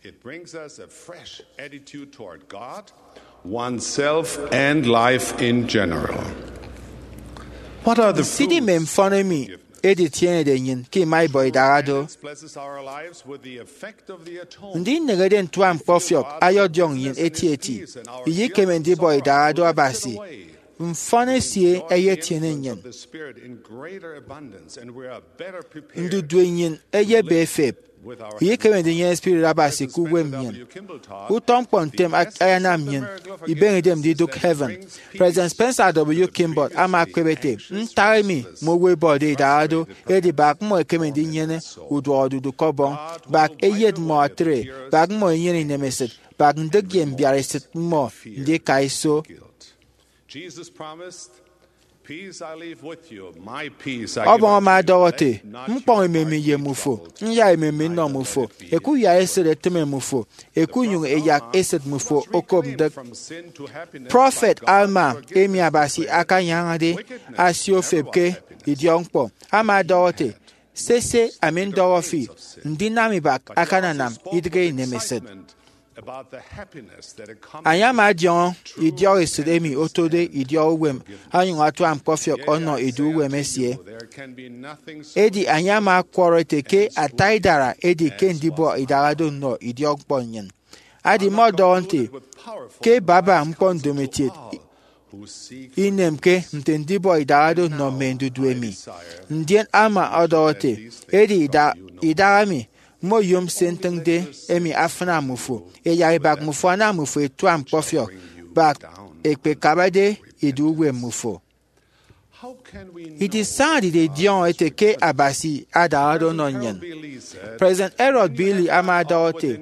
It brings us a fresh attitude toward God, oneself, and life in general. What are the Nsidi mme mfọn emi editienede nnyịn ke ima ibọ idaha do? Ndineñede ntua ñkpọfiọk ayọdiọñ nnyịn etieti. Iyikeme ndibọ idaha do Abasi. Mfọn esie eyetiene nnyịn. Ndudue nnyịn eyebe efep. Iyikeme ndinyene spirit Abasi ke uwem nnyịn. Utọ ñkpọ ntem ayanam nnyịn ibeñe idem ndidụk heaven. President Spencer W. Kimball ama ekpep ete, ntak emi mme owo ẹbọde idaha do edi bak mmọ ẹkeme ndinyene uduọkodudu ke Ọbọñ, bak eyet mmọ atre, bak mmọ inyene inemesịt, bak ndịk ye mbiaresịt mmọ ndika iso. Ọbọñ ama ọdọhọ ete, ñkpọñ emem mi ye mmufo, nyak emem mi nnọ mmufo, eku uyaresịt etịme mmufo, eku nyụñ eyak esịt mmufo okop ndịk. Prọfet Alma, emi Abasi akanyañade asia ofep ke idiọkñkpọ, ama ọdọhọ ete, sese, ami ndọhọ fi, ndinam ibak akananam idịghe inemesịt. Anyama adiọñọ idiọk esịt emi otode idiọk uwem onyụñ atua ñkpọfiọk ọnọ edu uwem esie. Edi anyama ọkwọrọ ete ke ata idara edi ke ndibọ idaha do nnọ idiọkñkpọ nnyịn. Adi mmọ ọdọhọ nte ke baba ñkpọ ndomokiet inemke nte ndibọ idaha do nnọ mme ndudue mi. Ndien ama ọdọhọ ete, edi idaha mi, mme oyom se ntịñde emi afịna mmufo, eyak ibak mmufo anam mmufo ẹtua ñkpọfiọk, bak ekpekabade edu uwem mmufo. Idisaña didie idiọñọ ete ke Abasi adaha do ọnọ nnyịn? President Harold B. Lee ama ọdọhọ ete,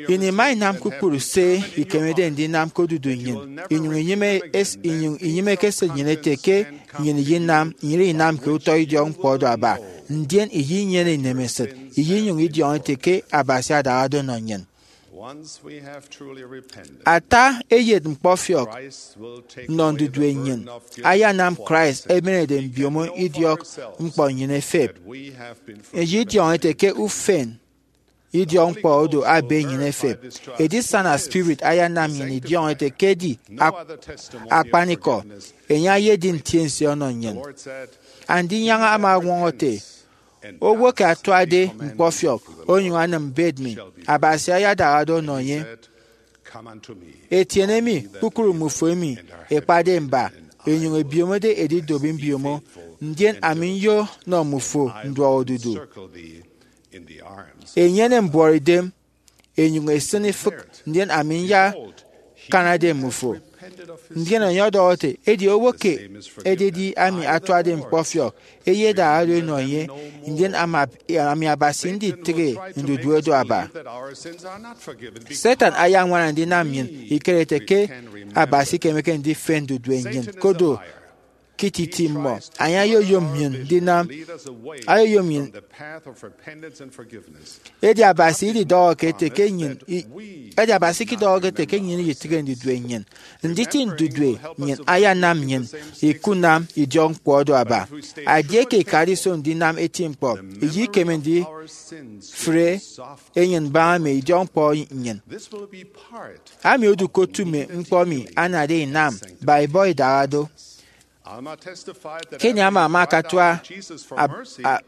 ini ima inam kpukpru se ikemede ndinam ke odudu nnyịn, inyụñ inyịme es- inyụñ inyịmeke esịt nnyịn ete ke nnyịn iyinam, nnyịn inamke utọ idiọkñkpọ oro aba, ndien iyinyene inemesịt, iyinyụñ idiọñọ ete ke Abasi adaha do ọnọ nnyịn. Ata eyet ñkpọfiọk nnọ ndudue nnyịn ayanam Christ ebenede mbiomo idiọk ñkpọ nnyịn efep. Eyi idiọñọ ete ke ufen idiọkñkpọ oro abe nnyịn efep. Edisana spirit ayanam nnyịn idiọñọ ete ke edi ak- akpanikọ, enye ayedi ntiense ọnọ nnyịn. Andinyaña ama ọñwọñọ ete, owo ke atuade ñkpọfiọk onyụñ anịm mbet mi, Abasi ayadaha do ọnọ enye. Etiene mi, kpukpru mmufo emi ekpade mba, enyụñ ebiomode edidop mbiomo, ndien ami nyo nnọ mmufo nduọkodudu. Enyene mbuọtidem, enyụñ esịn ifịk, ndien ami nyakanade mmufo. Ndien enye ọdọhọ ete, edi owo ke ededi ami atuade ñkpọfiọk, eyedaha do enọ enye, ndien ama- ami Abasi nditịghe ndudue do aba. Satan ayañwana ndinam nnyịn ikere ete ke Abasi ikemeke ndifen ndudue nnyịn, kodo ke ititi mmọ, enye ayoyom nnyịn ndinam, ayoyom nnyịn. Edi Abasi ididọhọke ete ke nnyịn i- edi Abasi ikidọhọke ete ke nnyịn iyitịghe ndudue nnyịn. Nditi ndudue nnyịn ayanam nnyịn ikunam idiọkñkpọ oro aba. Edieke ikade iso ndinam eti ñkpọ, iyikeme ndifre enyịn mbaña mme idiọkñkpọ nnyịn. Ami odu ke otu mme ñkpọ emi anade inam ba ibọ idaha do. Ke ini ama ama akatua ab- a-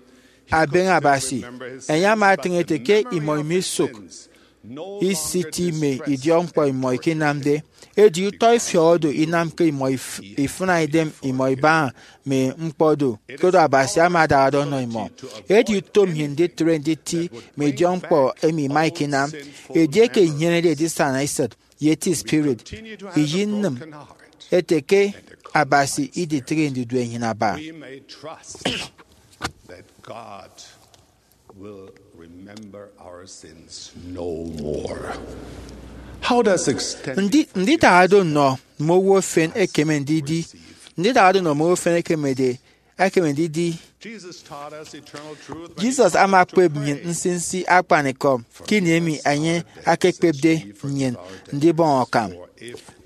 abeñe Abasi, enye ama atịñ ete ke imọ imisụk isiti mme idiọkñkpọ imọ ikinamde. Edi utọ ifiọk oro inamke imọ if- ifịna idem imọ ibaña mme ñkpọ do, koro Abasi ama adaha do ọnọ imọ. Edi utom nnyịn nditre nditi mme idiọkñkpọ emi ima ikinam. Edieke inyenede edisana esịt ye eti spirit, iyinịm ete ke Abasi iditịghe ndudue nnyịn aba. Ndi- ndidaha do nnọ mme owo efen ekeme ndidi ndidaha do nnọ mme owo efen ekemede ekeme ndidi. Jesus ama okpep nnyịn nsinsi akpanikọ ke ini emi enye akekpepde nnyịn ndibọñ akam.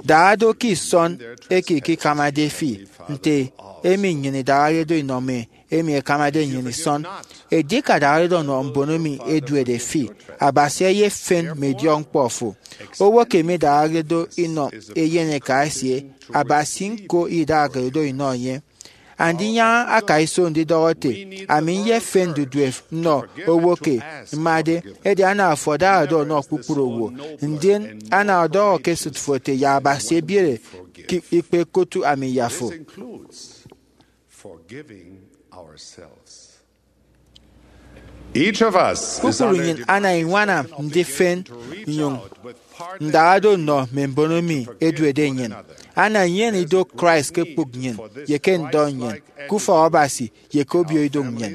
Dara do ke isọn eke ikikamade fi, nte emi nnyịn idarade do inọ mme emi ẹkamade nnyịn isọn. Edi ke adañarede ọnọ mbono emi eduede fi, Abasi eyefen mme idiọkñkpọ fo. Owo ke midarade do inọ eyen eka esie, Abasi ñko idarade do inọ enye. Andinyaña akaiso ndidọhọ ete, ami nyefen ndudue nnọ owo ke mmade, edi ana afo adara do ọnọ kpukpru owo, ndien ana ọdọhọ ke esịt fo ete, ya Abasi ebiere ke ikpe kotu ami ya fo. Forgiving ourselves. Each of us is kpukpru nnyịn ana iñwana ndifen nnyụñ ndarado nnọ mme mbono emi eduede nnyịn. Ana nnyịn ido Christ ke kpụk nnyịn ye ke ndọ nnyịn, ke ufọk Abasi ye ke obio ido nnyịn,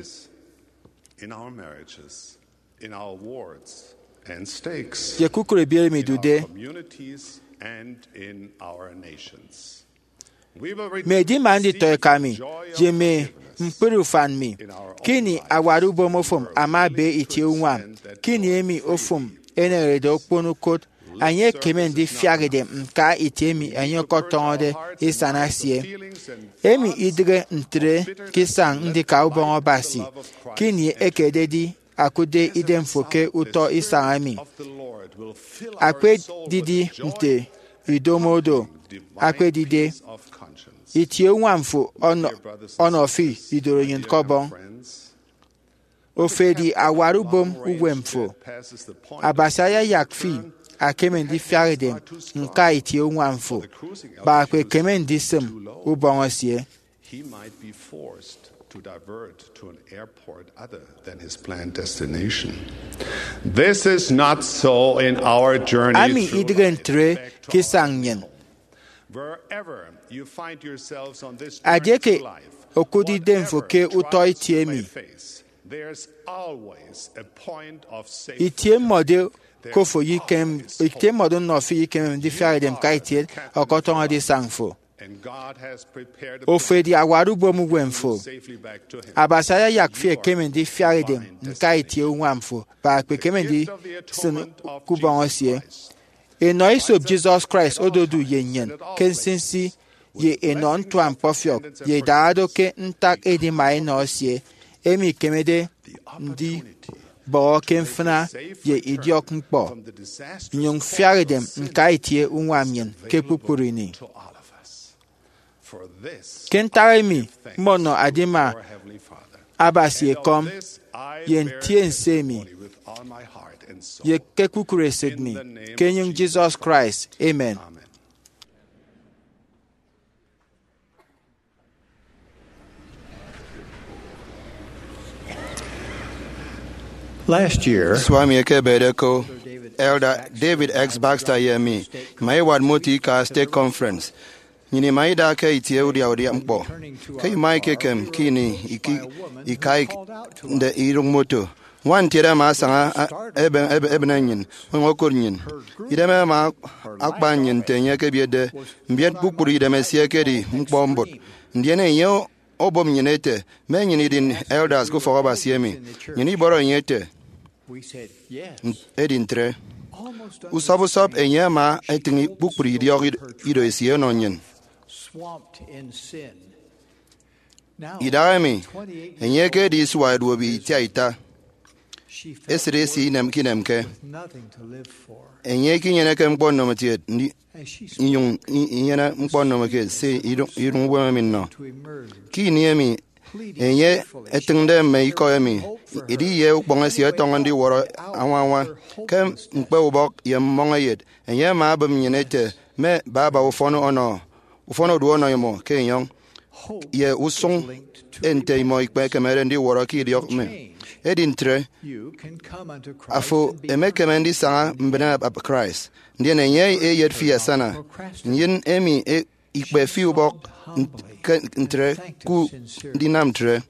in our marriages, in our wards and stakes, ye kukụre ebiere emi idude. Communities and in our nations. Mme edima nditọeka mi ye mme ñkpri ufan mi, ke ini awat ubom ofụm ama ebe itie uñwam, ke ini emi ofụm eneñerede okpon ukot, enye ekeme ndifiak idem ñka itie emi enye ọkọtọñọde isana esie. Emi idịghe ntre ke isañ ndika ubọñ Abasi, ke ini ekededi akụtde idemfo ke utọ isañ emi. Akpedidi nte idomo do, akpedide itie uñwam fo ọnọ, ọnọ fi idoro nnyịn ke Ọbọñ. Ofo edi awat ubom uwem fo. Abasi ayayak fi akeme ndifiak idem ñka itie uñwam fo, kpa akpekeme ndisịm ubọñ esie. He might be forced to divert to an airport other than his planned destination. This is not so in our journey. Ami through idịghe life ntre back to ke isañ our nnyịn. Wherever you find yourselves on this journey through life, edieke okụtde idemfo ke utọ itie emi, there's always a point of safety. Itie mmọdo ke ofo yikem, itie mmọdo nnọ fi yikemem ndifiak idem ka itie ọkọtọñọde isañ fo. Ofo edi awat ubom uwem fo. Abasi ayayak fi ekeme ndifiak idem ñka itie uñwam fo, kpa ekpekeme ndisịn ke ubọñ esie. Enọ esop Jesus Christ ododu ye nnyịn ke nsinsi ye enọ ntuañkpọfiọk, ye idarado ke ntak edima enọ esie, emi ikemede ndibọhọ ke mfịna ye idiọkñkpọ, nnyụñ fiak idem ñka itie uñwam nnyịn ke kpukpru ini. Ke ntak emi, mmọnọ adima Abasi ekọm ye ntiense mi ye ke kpukpru esịt mi, ke enyịñ Jesus Christ, amen. Last year, isua emi ekebede ko, Elder David X. Baxter ye mi ima iwat moto ika Stake Conference. Nnyịn ima ida ke itie udia udia ñkpọ. Ke ima ikekem ke ini iki, ikaikde irụk moto, ñwan ntiede ama asaña, a, ebe, ebe, ebịne nnyịn, onyụñ okụt nnyịn. Idem ama akpa nnyịn nte enye ekebietde mbiet. Kpukpru idem esie ekedi ñkpọ mbụt. Ndien enye obom nnyịn ete, mme nnyịn idi elders ke ufọk Abasi emi. Nnyịn ibọrọ enye ete, edi ntre. Usọp usọp enye ama etịñ kpukpru idiọk id-, ido esie ọnọ nnyịn. Idahaemi, enye ekedi isua eduobi itiaita. Esịt esie inemke inemke. Enye ikinyeneke ñkpọ ndomokiet, ndi-, inyụñ i-, inyene ñkpọ ndomokiet se iduñ, iduñ uwem emi nnọ. Ke ini emi enye etịñde mme ikọ emi, edi ye ukpọñ esie etọñọ ndiwọrọ añwa añwa. Ke ñkpe ubọk ye mmọñeyet, enye ama abịm nnyịn ete, mme baba ufọn ọnọ, ufọn odu ọnọ imọ ke enyọñ, ye usụñ nte imọ ikpekemede ndiwọrọ ke idiọk mi. Edi ntre, afo emekeme ndisaña mbịne Christ, ndien enye eyet fi asana. Nnyịn emi e-, ikpe fi ubọk n-, ke ntre, ku ndinam ntre.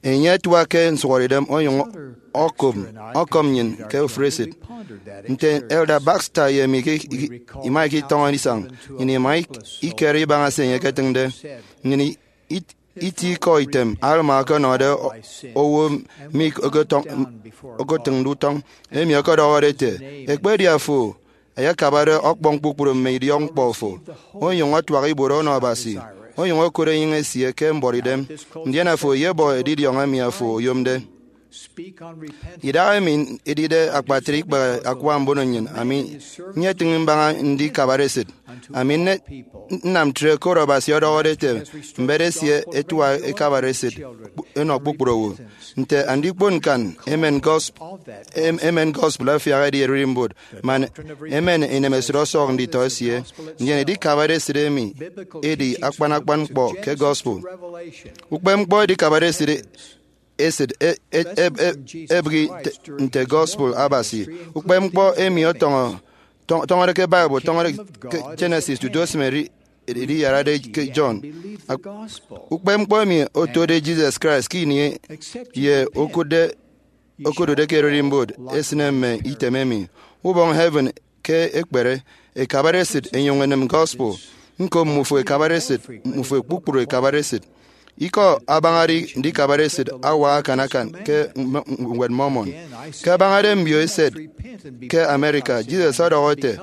Enye atuak ke nsụhọdeidem onyụñ ọkọm, ọkọm nnyịn ke ofụri esịt. Nte Elder Baxter ye mi ke i-, ima ikitọñọ isañ, nnyịn ima ik-, ikere ibaña se enye eketịñde. Nnyịn i-, it-, iti ikọ item Alma ọkọnọde o-, owo mi okotọñ-, okotịñde utọñ, emi ọkọdọhọde ete, ekpedi afo ayakabade ọkpọñ kpukpru mme idiọkñkpọ fo, onyụñ ọtuak ibuot ọnọ Abasi, onyụñ okot enyịñ esie ke mbuọtidem, ndien afo eyebọ edidiọñ emi afo oyomde. Idahaemi edide akpatre ikpehe akwa mbono nnyịn, ami nyetịñ mbaña ndikabade esịt. Ami nne-, nnam ntre koro Abasi ọdọhọde ete, mbet esie etua ekabare esịt kpu-, enọ kpukpru owo. Nte andikpon ñkan, emen gosp-, em-, emen gospel afiak edi ererimbot, man emen inemesịt ọsọk nditọ esie. Ndien edikabade esịt emi edi akpan akpan ñkpọ ke gospel. Ukpepñkpọ edikabade esịt esịt e-, e-, e-, e-, ebịghi te-, nte gospel Abasi. Ukpepñkpọ emi ọtọñọ, tọ-, tọñọde ke Bible, tọñọde ke Genesis tutu esịm eri-, eriyarade ke John. Ak-, ukpepñkpọ emi otode Jesus Christ ke ini ye okụtde, okodude ke ererimbot, esịne mme item emi. Ubọñ heaven ke ekpere, ekabare esịt enyụñ enịm gospel. Ñko, mmufo ekabare esịt, mmufo kpukpru ekabare esịt. Ikọ abañade ndikabare esịt awak akan akan ke mme-, Ñwed Mormon. Ke abañade mbio eset ke America, Jesus ọdọhọ ete,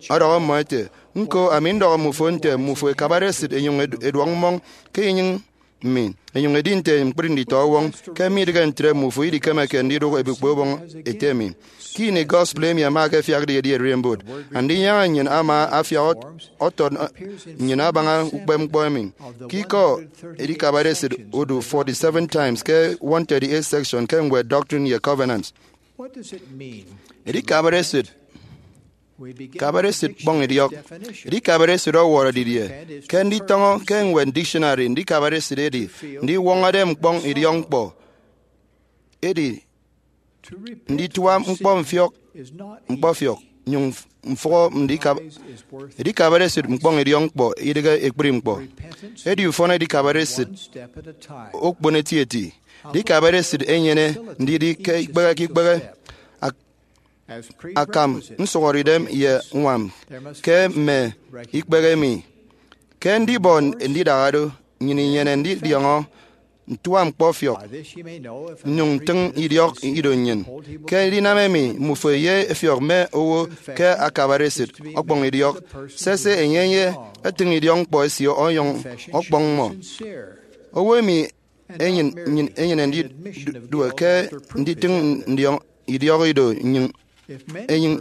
ọdọhọ mmọ ete, ñko, ami ndọhọ mmufo nte mmufo ekabare esịt enyụñ edu-, eduọk mmọñ ke enyịñ mi, enyụñ edi nte ñkpri nditọ ọwọñ, ke midịghe ntre mmufo idikemeke ndidụk ebikpe ubọñ ete mi. Ke ini gospel emi ama akefiakde edi ererimbot, Andinyaña nnyịn ama afiak ọt-, ọtọt nnyịn abaña ukpepñkpọ emi. Ke ikọ edikabade esịt odu forty-seven times ke one thirty-eight section ke ñwed Doctrine and Covenants. Edikabade esịt, kabade esịt kpọñ idiọk. Edikabade esịt ọwọrọ didie? Ke nditọñọ ke ñwed dictionary, ndikabade esịt edi ndiwọñọde ñkpọñ idiọkñkpọ. Edi nditua ñkpọ mfiọk, ñkpọfiọk, nyụñ mfụhọ ndikab-, edikabade esịt ñkpọñ idiọkñkpọ idịghe ekpri ñkpọ. Edi ufọn edikabade esịt okpon etieti. Edikabade esịt enyene ndidi ke ikpehe ke ikpehe. Ak-, akam nsụhọdeidem ye ñwam ke mme ikpehe emi. Ke ndibọ ndidaha do, nnyịn inyene ndidiọñọ ntua ñkpọfiọk, nnyụñ ntịñ idiọk ido nnyịn. Ke edinam emi, mmufo ye efiọk mme owo ke akabade esịt ọkpọñ idiọk. Sese, enye ye etịñ idiọkñkpọ esie ọyọñ ọkpọñ mmọ. Owo emi enyịn, nnyịn enyene ndidue ke nditịñ ndiọñ idiọk ido nnyịn enyịn.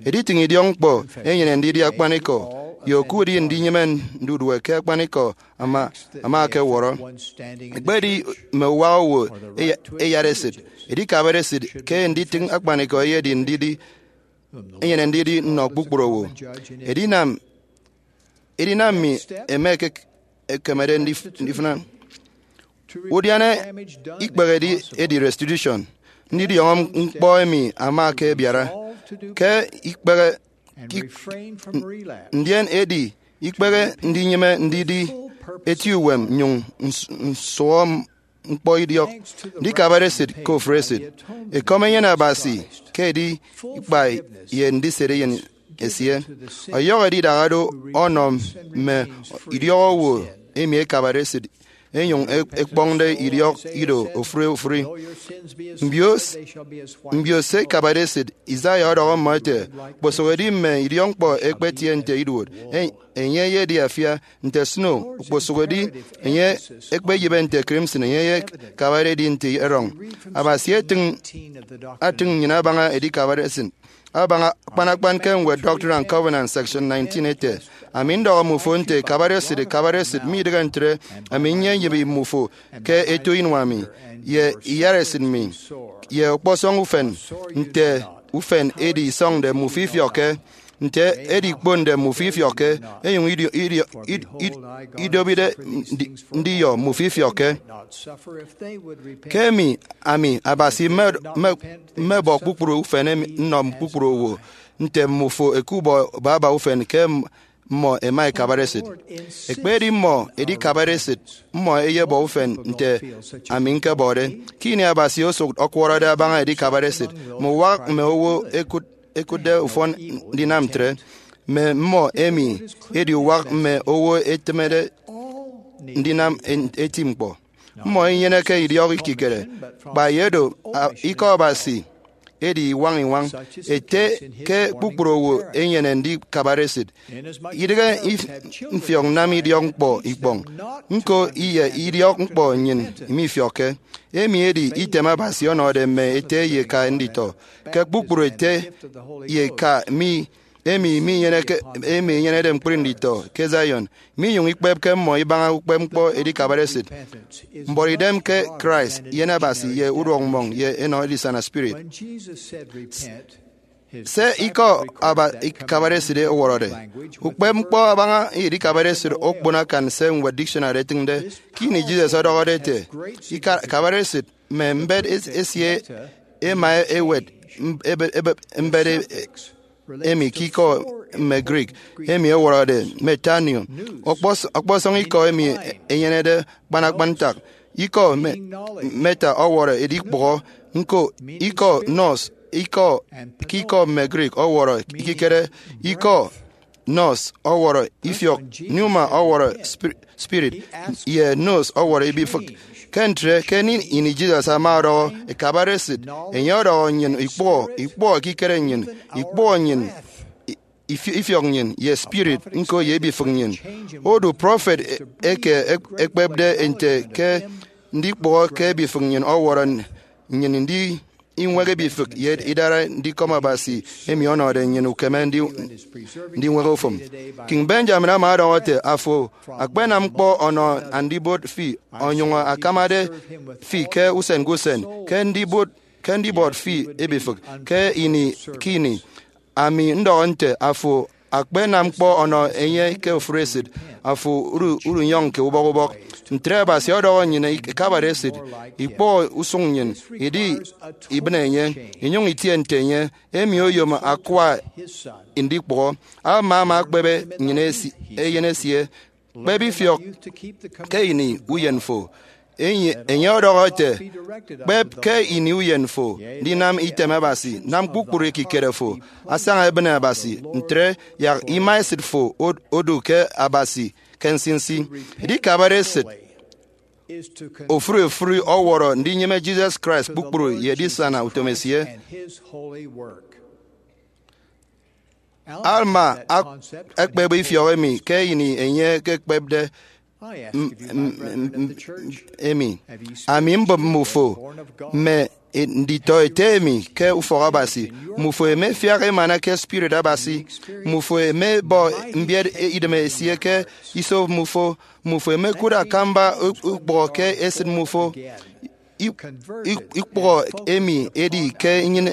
Editịñ idiọkñkpọ enyene ndidi akpanikọ, ye oku edi ndinyịme ndudue ke akpanikọ ama, ama akewọrọ. Ekpedi mme uwak owo eya-, eyat esịt, edikabade esịt ke nditịñ akpanikọ eyedi ndidi, enyene ndidi nnọ kpukpru owo. Edinam, edinam mi eme ke ekemede ndif-, ndifịna. Udiana ikpehede edi restitution. Ndidiọñọ ñkpọ emi ama ke ebiara ke ikpehe, ki-, ndien edi ikpehe ndinyịme ndidi eti uwem nnyụñ ns-, nsụhọ ñkpọ idiọk. Ndikabade esịt ke ofụri esịt, ekọm enyene Abasi ke edi ikpai ye ndisede eyen esie. Ọyọhọ edidahado ọnọ mme idiọk owo emi ekabade esịt, enyụñ e-, ekpọñde idiọk ido ofụri ofụri. Mbio s-, mbio se ikabade esịt, Isaiah ọdọhọ mmọ ete, kposụk edi mme idiọkñkpọ ekpetie nte iduot, e-, enye eyedi afia nte snow, okposụk edi enye ekpeyịbe nte crimson, enye ye kabade edi nte erọñ. Abasi etịñ, atịñ nnyịn abaña edikabade esịt. Abaña akpan akpan ke ñwed Doctrine and Covenants, section nineteen ete, Ami ndọhọ mmufo nte kabade esịt, kabade esịt, midịghe ntre, ami nyenyịbi mmufo ke eto inua mi, ye iyara esịt mi, ye ọkpọsọñ ufen, nte ufen edi isọñde mmufo ifiọkke, nte edi ikponde mmufo ifiọkke, enyụñ idio-, idio-, id-, id-, idobide ndi-, ndiyọ mmufo ifiọkke. Ke emi, ami, Abasi, mme-, mme-, mmebọ kpukpru ufen emi nnọ kpukpru owo, nte mmufo ẹkubọ baba ufen ke m-, mmọ ẹma ẹkabare esịt. Ekpedi mmọ edikabare esịt, mmọ ẹyebọ ufen nte ami ñkebọde. Ke ini Abasi osụk ọkwọrọde abaña edikabare esịt, mme uwak mme owo ẹkụt-, ẹkụtde ufọn ndinam ntre. Mme mmọ emi edi uwak mme owo ẹtịmede ndinam en-, eti ñkpọ. Mmọ inyeneke idiọk ikikere. Kpa ye do, a, Ikọ Abasi edi iwañ iwañ ete ke kpukpru owo enyene ndikabare esịt. Idịghe mfiọk nnam idiọk ñkpọ ikpọñ, ñko ye idiọk ñkpọ nnyịn mifiọkke. Emi edi item Abasi ọnọde mme ete ye eka nditọ. Ke kpukpru ete ye eka mi emi minyeneke emi enyenede ñkpri nditọ ke Zion, minyụñ ikpepke mmọ ibaña ukpepñkpọ edikabare esịt, mbuọtidem ke Christ, eyen Abasi, ye uduọk mmọñ ye enọ edisana spirit. Se ikọ aba ikabare esịt ọwọrọde. Ukpepñkpọ abaña edikabare esịt okpon akan se ñwed dictionary etịñde. Ke ini Jesus ọdọhọde ete, ikabare esịt mme mbet esie ema ewet mbet emi ke ikọ mme Greek emi ẹwọrọde metanoeo. Ọkpọsọñ ikọ emi enyenede kpanakpan ntak. Ikọ meta ọwọrọ edikpụhọ, ñko ikọ nous ke ikọ mme Greek ọwọrọ ekikere. Ikọ nous ọwọrọ ifiọk, pneuma ọwọrọ spirit, ye nous ọwọrọ ibifịk. Ke ntre, ke ini Jesus ama ọdọhọ ekabare esịt, enye ọdọhọ nnyịn ikpụhọ, ikpụhọ ekikere nnyịn, ikpụhọ nnyịn, ifiọk nnyịn, ye spirit, ñko ye ibifịk nnyịn. Odu prọfet eke ekpepde nte ke ndikpụhọ ke ibifịk nnyịn ọwọrọ nnyịn ndi iñwek ibifịk ye idara ndikọm Abasi emi ọnọde nnyịn ukeme ndiñwek ufụm. King Benjamin ama ọdọhọ ete, afo akpenam ñkpọ ọnọ Andibot fi onyụñ akamade fi ke usen ke usen, ke ndibot fi ibifịk ke ini ke ini. Ami ndọhọ nte, afo akpenam ñkpọ ọnọ enye ke ofụri esịt, afo udunyọñke ubọk ubọk. Ntre Abasi ọdọhọ nnyịn ikabare esịt, ikpụhọ usụñ nnyịn, idi ibịne enye, inyụñ itie nte enye. Emi oyom akwa ndikpụhọ. Alma ama ekpebe nnyịn eyen esie, kpep ifiọk ke ini uyen fo. Enye ọdọhọ ete, kpep ke ini uyen fo ndinam item Abasi, nam kpukpru ekikere fo asaña ebịne Abasi, ntre yak ima esịt fo odu ke Abasi ke nsinsi. Edikabare esịt ofụri ofụri ọwọrọ ndinyịme Jesus Christ kpukpru ye edisana utom esie. Alma ekpebe ifiọk emi ke ini enye ekekpepde emi. Ami mbụp mmufo mme nditọ ete emi ke ufọk Abasi. Mmufo emefiak emana ke Spirit Abasi. Mmufo emebọ mbiet idem esie ke iso mmufo. Mmufo emekụt akamba ukpụhọ ke esịt mmufo. Ikpụhọ emi edi ke nnyịn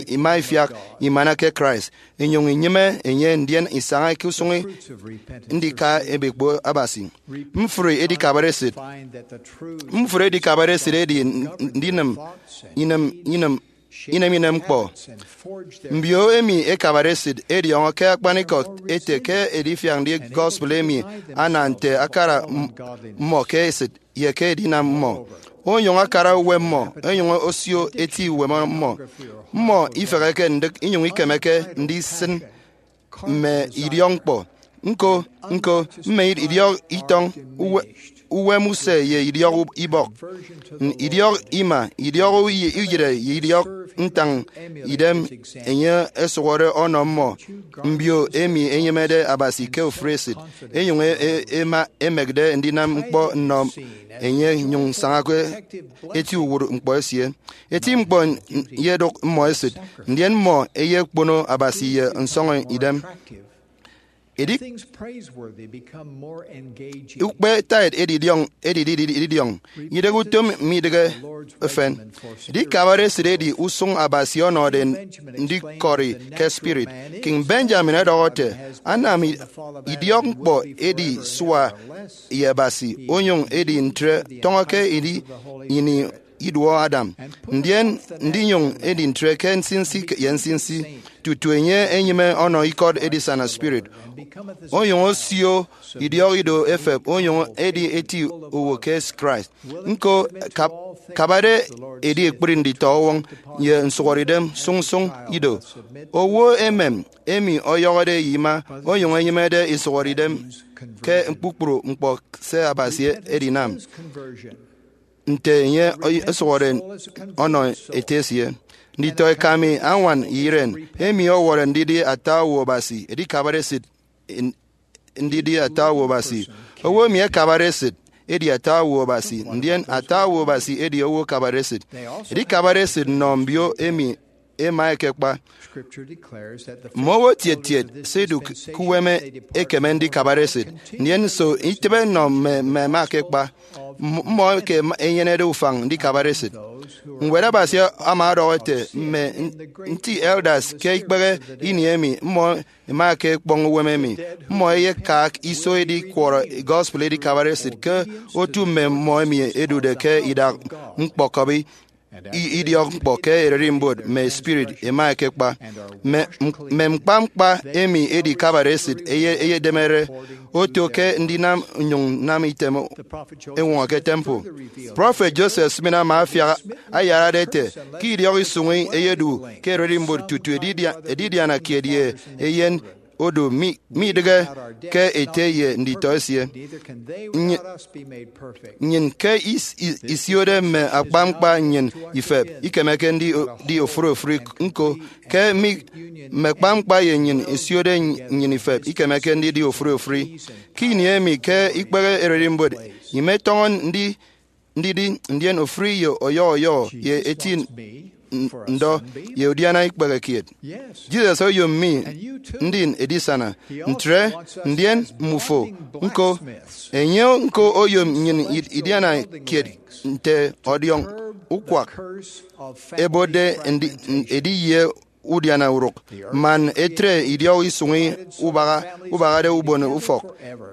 ima ifiak imana ke Christ, inyụñ inyịme enye, ndien isaña ke usụñ ndika ebe ekpo Abasi. Mfri edikabare esịt. Mfri edikabare esịt edi ndinịm inem inem inem inem ñkpọ. Mbio emi ekabare esịt ẹdiọñọ ke akpanikọ ete ke edifiak ndi gospel emi ana nte akara mmọ ke esịt ye ke edinam mmọ. Onyụñ akara uwem mmọ, onyụñ osio eti uwem mmọ. Mmọ ifeheke ndịk inyụñ ikemeke ndisịn mme idiọk ñkpọ. Ñko, ñko, mme idiọk itọñ, uwem use ye idiọk ibọk, idiọk ima, idiọk uyịre ye idiọk ntañ idem enye ẹsụhọde ọnọ mmọ. Mbio emi ẹnyịmede Abasi ke ofụri esịt, enyụñ ẹma ẹmekde ndinam ñkpọ nnọ enye, nyụñ sañake eti uwụt ñkpọ esie. Eti ñkpọ ye ẹdụk mmọ esịt, ndien mmọ ẹyekpono Abasi ye nsọñọ idem. Edi ukpe tithe edidiọñ edidi edidiọñ, idịghe utom midịghe efen. Edikabare esịt edi usụñ Abasi ọnọde ndikọri ke spirit. King Benjamin ọdọhọ ete, anam idiọk ñkpọ edi sua ye Abasi, onyụñ edi ntre tọñọ ke ini iduọ Adam, ndien ndinyụñ edi ntre ke nsinsi ye nsinsi, tutu enye enyịme ọnọ ikọt edisana spirit, onyụñ osio idiọk ido efep, onyụñ edi eti owo ke Christ. Ñko, kabade edi ekpri nditọ ọwọñ ye nsụhọdeidem sụñsụñ ido. Owo emem emi ọyọhọde ye ima, onyụñ enyịmede isụhọdeidem ke kpukpru ñkpọ se Abasi edinam. nte enye ọsụhọde ọnọ ete esie. Nditọ eka mi, añwan ye iren, emi ọwọrọ ndidi ata owo Abasi edikabare esịt, ndidi ata owo Abasi. Owo emi akabare esịt edi ata owo Abasi, ndien ata owo Abasi edi owo akabare esịt. Edikabare esịt nnọ mbio emi ema ekekpa. Mme owo tiet tiet se idụk ke uwem ekeme ndikabare esịt. Ndien nso itịbe nnọ mme mme ema ekekpa? Mmọ eke enyenede ufañ ndikabare esịt. Ñwed Abasi ama ọdọhọ ete, mme nti elders ke ikpehe ini emi mmọ ema ke ekpọñ uwem emi, mmọ eyekak iso edi kwọrọ gospel edikabare esịt ke otu mme mmọ emi edude ke idak ñkpọkọbi idiọk ñkpọ ke ererimbot mme spirit ema ekekpa. Mme mkpa mkpa emi edikabare esịt eyedemere oto ke ndinam nnyụñ nnam item eñwọñọ ke temple. Prọfet Joseph Smith ama afiak ayarade ete, ke idiọk isụñi eyedu ke ererimbot tutu edidiana kiet ye eyen odu midịghe ke ete ye nditọ esie. Nnyịn ke isiode mme akpañkpa nnyịn ifep ikemeke ndidi ofụri ofụri ñko. Ke mme akpañkpa ye nnyịn isiode nnyịn ifep ikemeke ndidi ofụri ofụri. Ke ini emi ke ikpehe ererimbot imetọñọ ndi ndidi, ndien ofụri ye ọyọhọ ọyọhọ ye eti ndọ ye udiana ikpehe kiet. Jesus oyom mi ndin edisana ntre, ndien mmufo ñko. Enye ñko oyom nnyịn idiana kiet nte ọdiọñ ukwak ebotde edi ye udiana urụk, man etre idiọk isụñi ubahade ubon ufọk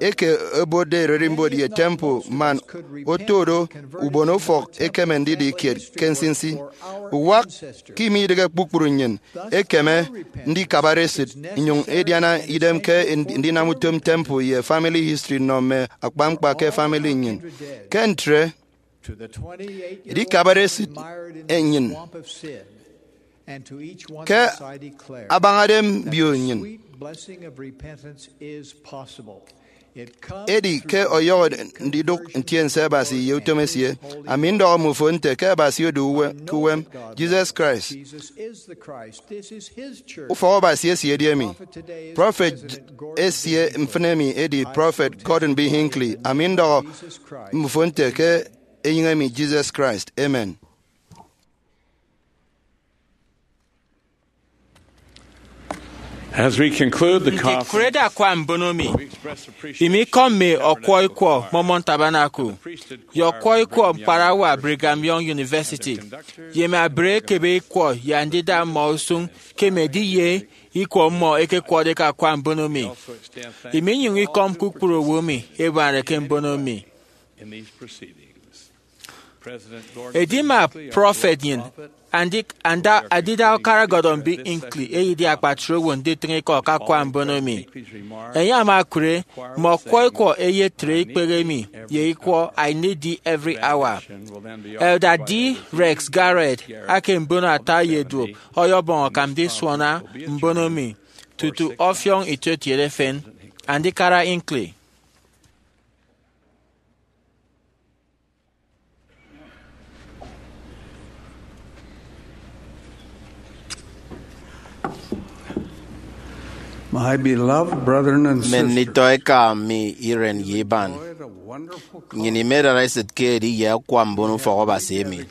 eke ebotde ererimbot ye temple, man oto do ubon ufọk ekeme ndidi kiet ke nsinsi. Uwak ke imidịghe kpukpru nnyịn ekeme ndikabare esịt nnyụñ ediana idem ke ndinam utom temple ye family history nnọ mme akpañkpa ke family nnyịn. Ke ntre, edikabare esịt nnyịn ke abañade mbio nnyịn. Edi ke ọyọhọ ndidụk ntiense Abasi ye utom esie, ami ndọhọ mmufo nte ke Abasi odu ke uwem. Jesus Christ, ufọk Abasi esie edi emi. Prọfet esie mfịn emi edi Prọfet Gordon B. Hinckley. Ami ndọhọ mmufo nte ke enyịñ emi Jesus Christ. Amen. As we conclude the conference, ndikurede akwa mbono mi, imi ikọ mme ọkwọ ikwọ Mormon Tabernacle ye ọkwọ ikwọ ñkparawa Brigham Young University, ye mme abre ekebe ikwọ ye andida mmọ usụñ ke mme ediye ikwọ mmọ ekekwọde ke akwa mbono mi. Imi inyụñ ikọm kpukpru owo emi ebarake mbono mi. Edima prọfet nnyịn, Andida Ukara Gordon B. Hinckley, eyedi akpatre owo nditịñ ikọ ke akwa mbono mi. Enye ama ekụre mme ọkwọ ikwọ eyetre ikpehe emi ye ikwọ I Need Thee Every Hour. Elder D. Rex Garrett ake mbono ata ye duop ọyọbọñ akam ndisuana mbono mi tutu ọfiọñ itietiede efen. Andikara Hinckley. My beloved brethren and sisters, mme nditọ eka mi iren ye iban, nnyịn imedara esịt ke ediye akwa mbono ufọk Abasi emi.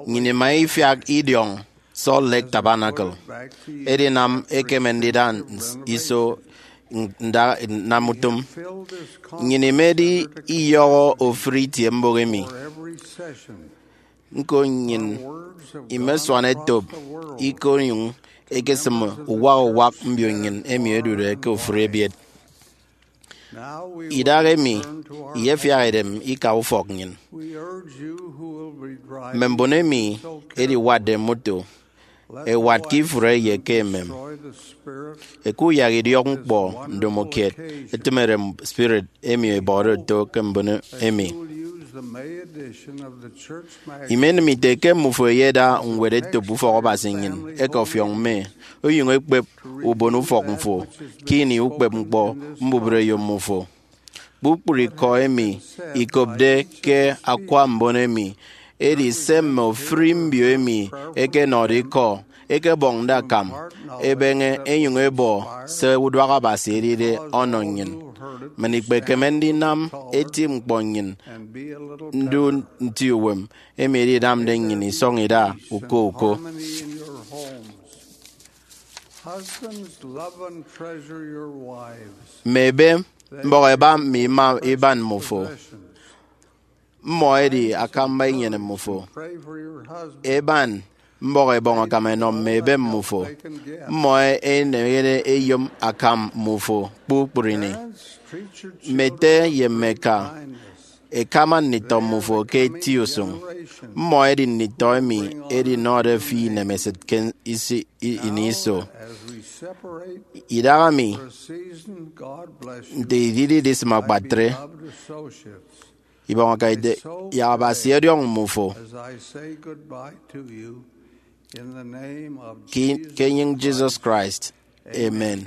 Nnyịn ima ifiak idiọñ Salt Lake Tabernacle. Edinam ekeme ndida iso nda nnam utom. Nnyịn imedi iyọhọ ofụri itie mbụk emi. Ñko nnyịn imesuan etop ikonyụñ ekesịm uwak uwak mbio nnyịn emi ẹdude ke ofụri ebiet. Idahaemi iyefiak idem ika ufọk nnyịn. Mme mbon emi ẹdiwatde moto, ẹwat ke ifụre ye ke emem. Ẹkuyak idiọk ñkpọ ndomokiet, ẹtịm erem spirit emi ẹbọde oto ke mbon emi. Imenịm ite ke mmufo ẹyeda ñwed etop ufọk Abasi nnyịn ẹkọfiọk mme, onyụñ ekpep ubon ufọk mfo ke ini ukpep ñkpọ mbubreyo mmufo. Kpukpru ikọ emi ikopde ke akwa mbon emi edi se mme ofuri mbio emi ẹkenọde ikọ ẹkebọñde akam ẹbeñe ẹnyụñ ẹbọ se uduak Abasi edide ọnọ nnyịn. Man ikpekeme ndinam eti ñkpọ nnyịn ndu nti uwem, emi edinamde nnyịn isọñ ida uko uko. Husbands, love and treasure your wives. Mme ebe, mbọhọ ẹba mme ima iban mmufo. Mmọ ẹdi akamba inyene mmufo. Pray for your husband. Eban, mbọhọ ẹbọñ akam ẹnọ mme ebe mmufo. Mmọ ẹneñede ẹyom akam mmufo kpukpru ini. Parents, treat your children. Mme ete ye mme eka, ẹkama nditọ mmufo ke eti usụñ. Mmọ ẹdi nditọ emi ẹdinọde fi inemesịt ke isi- i- ini iso. Idaha mi, nte idide idisịm akpatre, ibọñ aka ite, yak Abasi ọdiọñ mmufo. Ke, ke enyịñ Jesus Christ. Amen.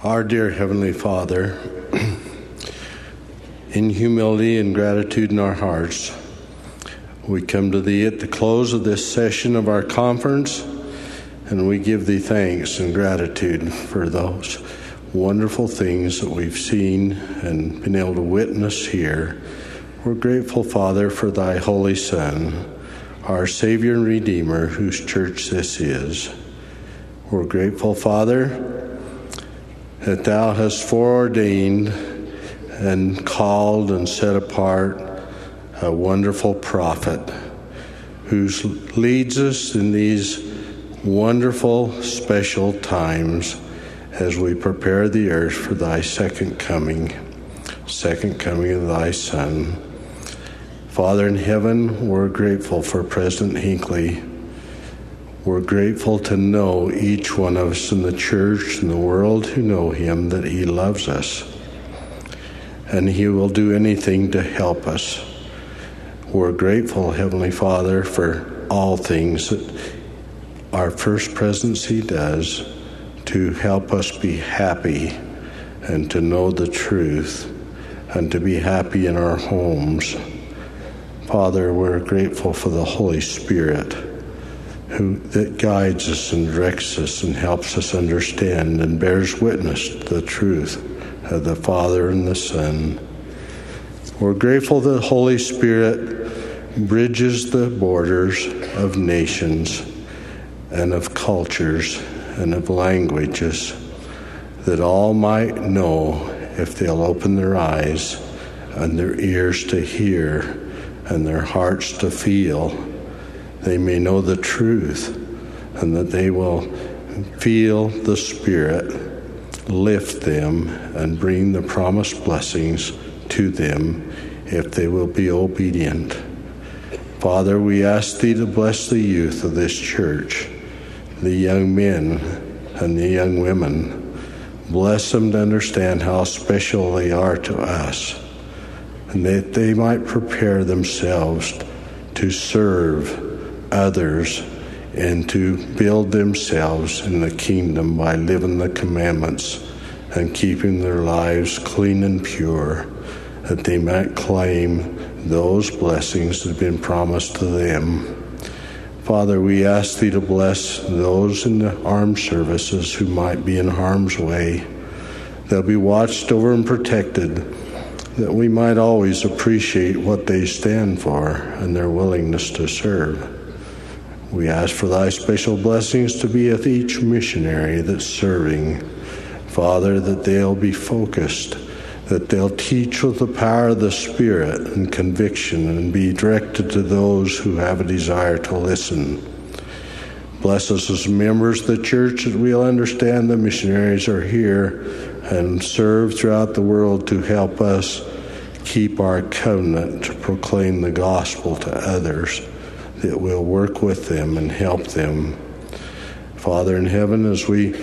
Our dear Heavenly Father, in humility and gratitude in our hearts, we come to Thee at the close of this session of our conference, and we give Thee thanks and gratitude for those wonderful things that we've seen and been able to witness here. We're grateful, Father, for Thy Holy Son, our Savior and Redeemer, whose church this is. We're grateful, Father, that Thou hast foreordained and called and set apart a wonderful prophet who leads us in these wonderful, special times as we prepare the earth for Thy second coming, second coming of Thy Son. Father in heaven, we're grateful for President Hinckley. We're grateful to know each one of us in the church and the world who know him, that he loves us and he will do anything to help us. We're grateful, Heavenly Father, for all things that our First Presidency does to help us be happy and to know the truth and to be happy in our homes. Father, we're grateful for the Holy Spirit who, that guides us and directs us and helps us understand and bears witness to the truth of the Father and the Son. We're grateful that the Holy Spirit bridges the borders of nations and of cultures and of languages, that all might know, if they'll open their eyes and their ears to hear and their hearts to feel, they may know the truth, and that they will feel the Spirit lift them and bring the promised blessings to them if they will be obedient. Father, we ask Thee to bless the youth of this church, the young men and the young women. Bless them to understand how special they are to us, and that they might prepare themselves to serve others and to build themselves in the kingdom by living the commandments and keeping their lives clean and pure, that they might claim those blessings that have been promised to them. Father, we ask Thee to bless those in the armed services who might be in harm's way. They'll be watched over and protected, that we might always appreciate what they stand for and their willingness to serve. We ask for Thy special blessings to be with each missionary that's serving. Father, that they'll be focused, that they'll teach with the power of the Spirit and conviction and be directed to those who have a desire to listen. Bless us as members of the church, that we'll understand the missionaries are here and serve throughout the world to help us keep our covenant to proclaim the gospel to others, that we'll work with them and help them. Father in heaven, as we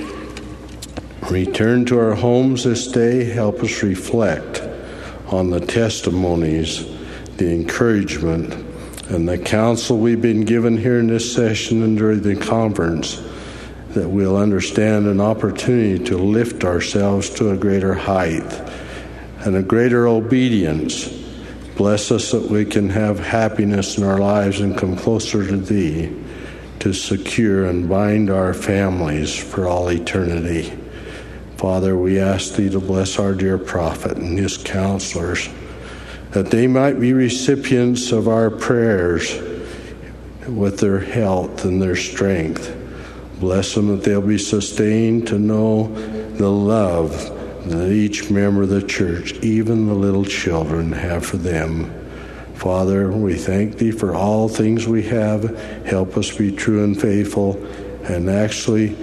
return to our homes this day, help us reflect on the testimonies, the encouragement, and the counsel we've been given here in this session and during the conference, that we'll understand an opportunity to lift ourselves to a greater height and a greater obedience. Bless us that we can have happiness in our lives and come closer to Thee, to secure and bind our families for all eternity. Father, we ask Thee to bless our dear prophet and his counselors, that they might be recipients of our prayers with their health and their strength. Bless them that they'll be sustained to know the love that each member of the church, even the little children, have for them. Father, we thank Thee for all things we have. Help us be true and faithful and actually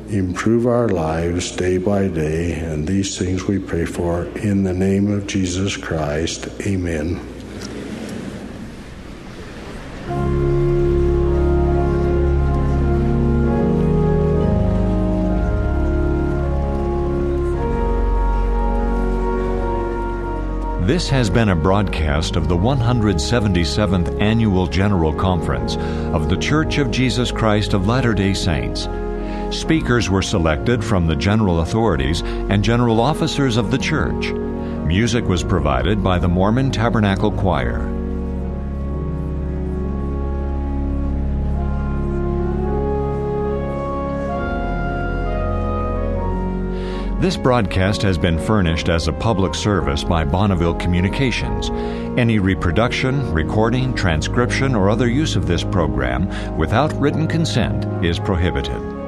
improve our lives day by day. And these things we pray for in the name of Jesus Christ. Amen. This has been a broadcast of the one hundred seventy-seventh Annual General Conference of The Church of Jesus Christ of Latter-day Saints. Speakers were selected from the general authorities and general officers of the church. Music was provided by the Mormon Tabernacle Choir. This broadcast has been furnished as a public service by Bonneville Communications. Any reproduction, recording, transcription, or other use of this program without written consent is prohibited.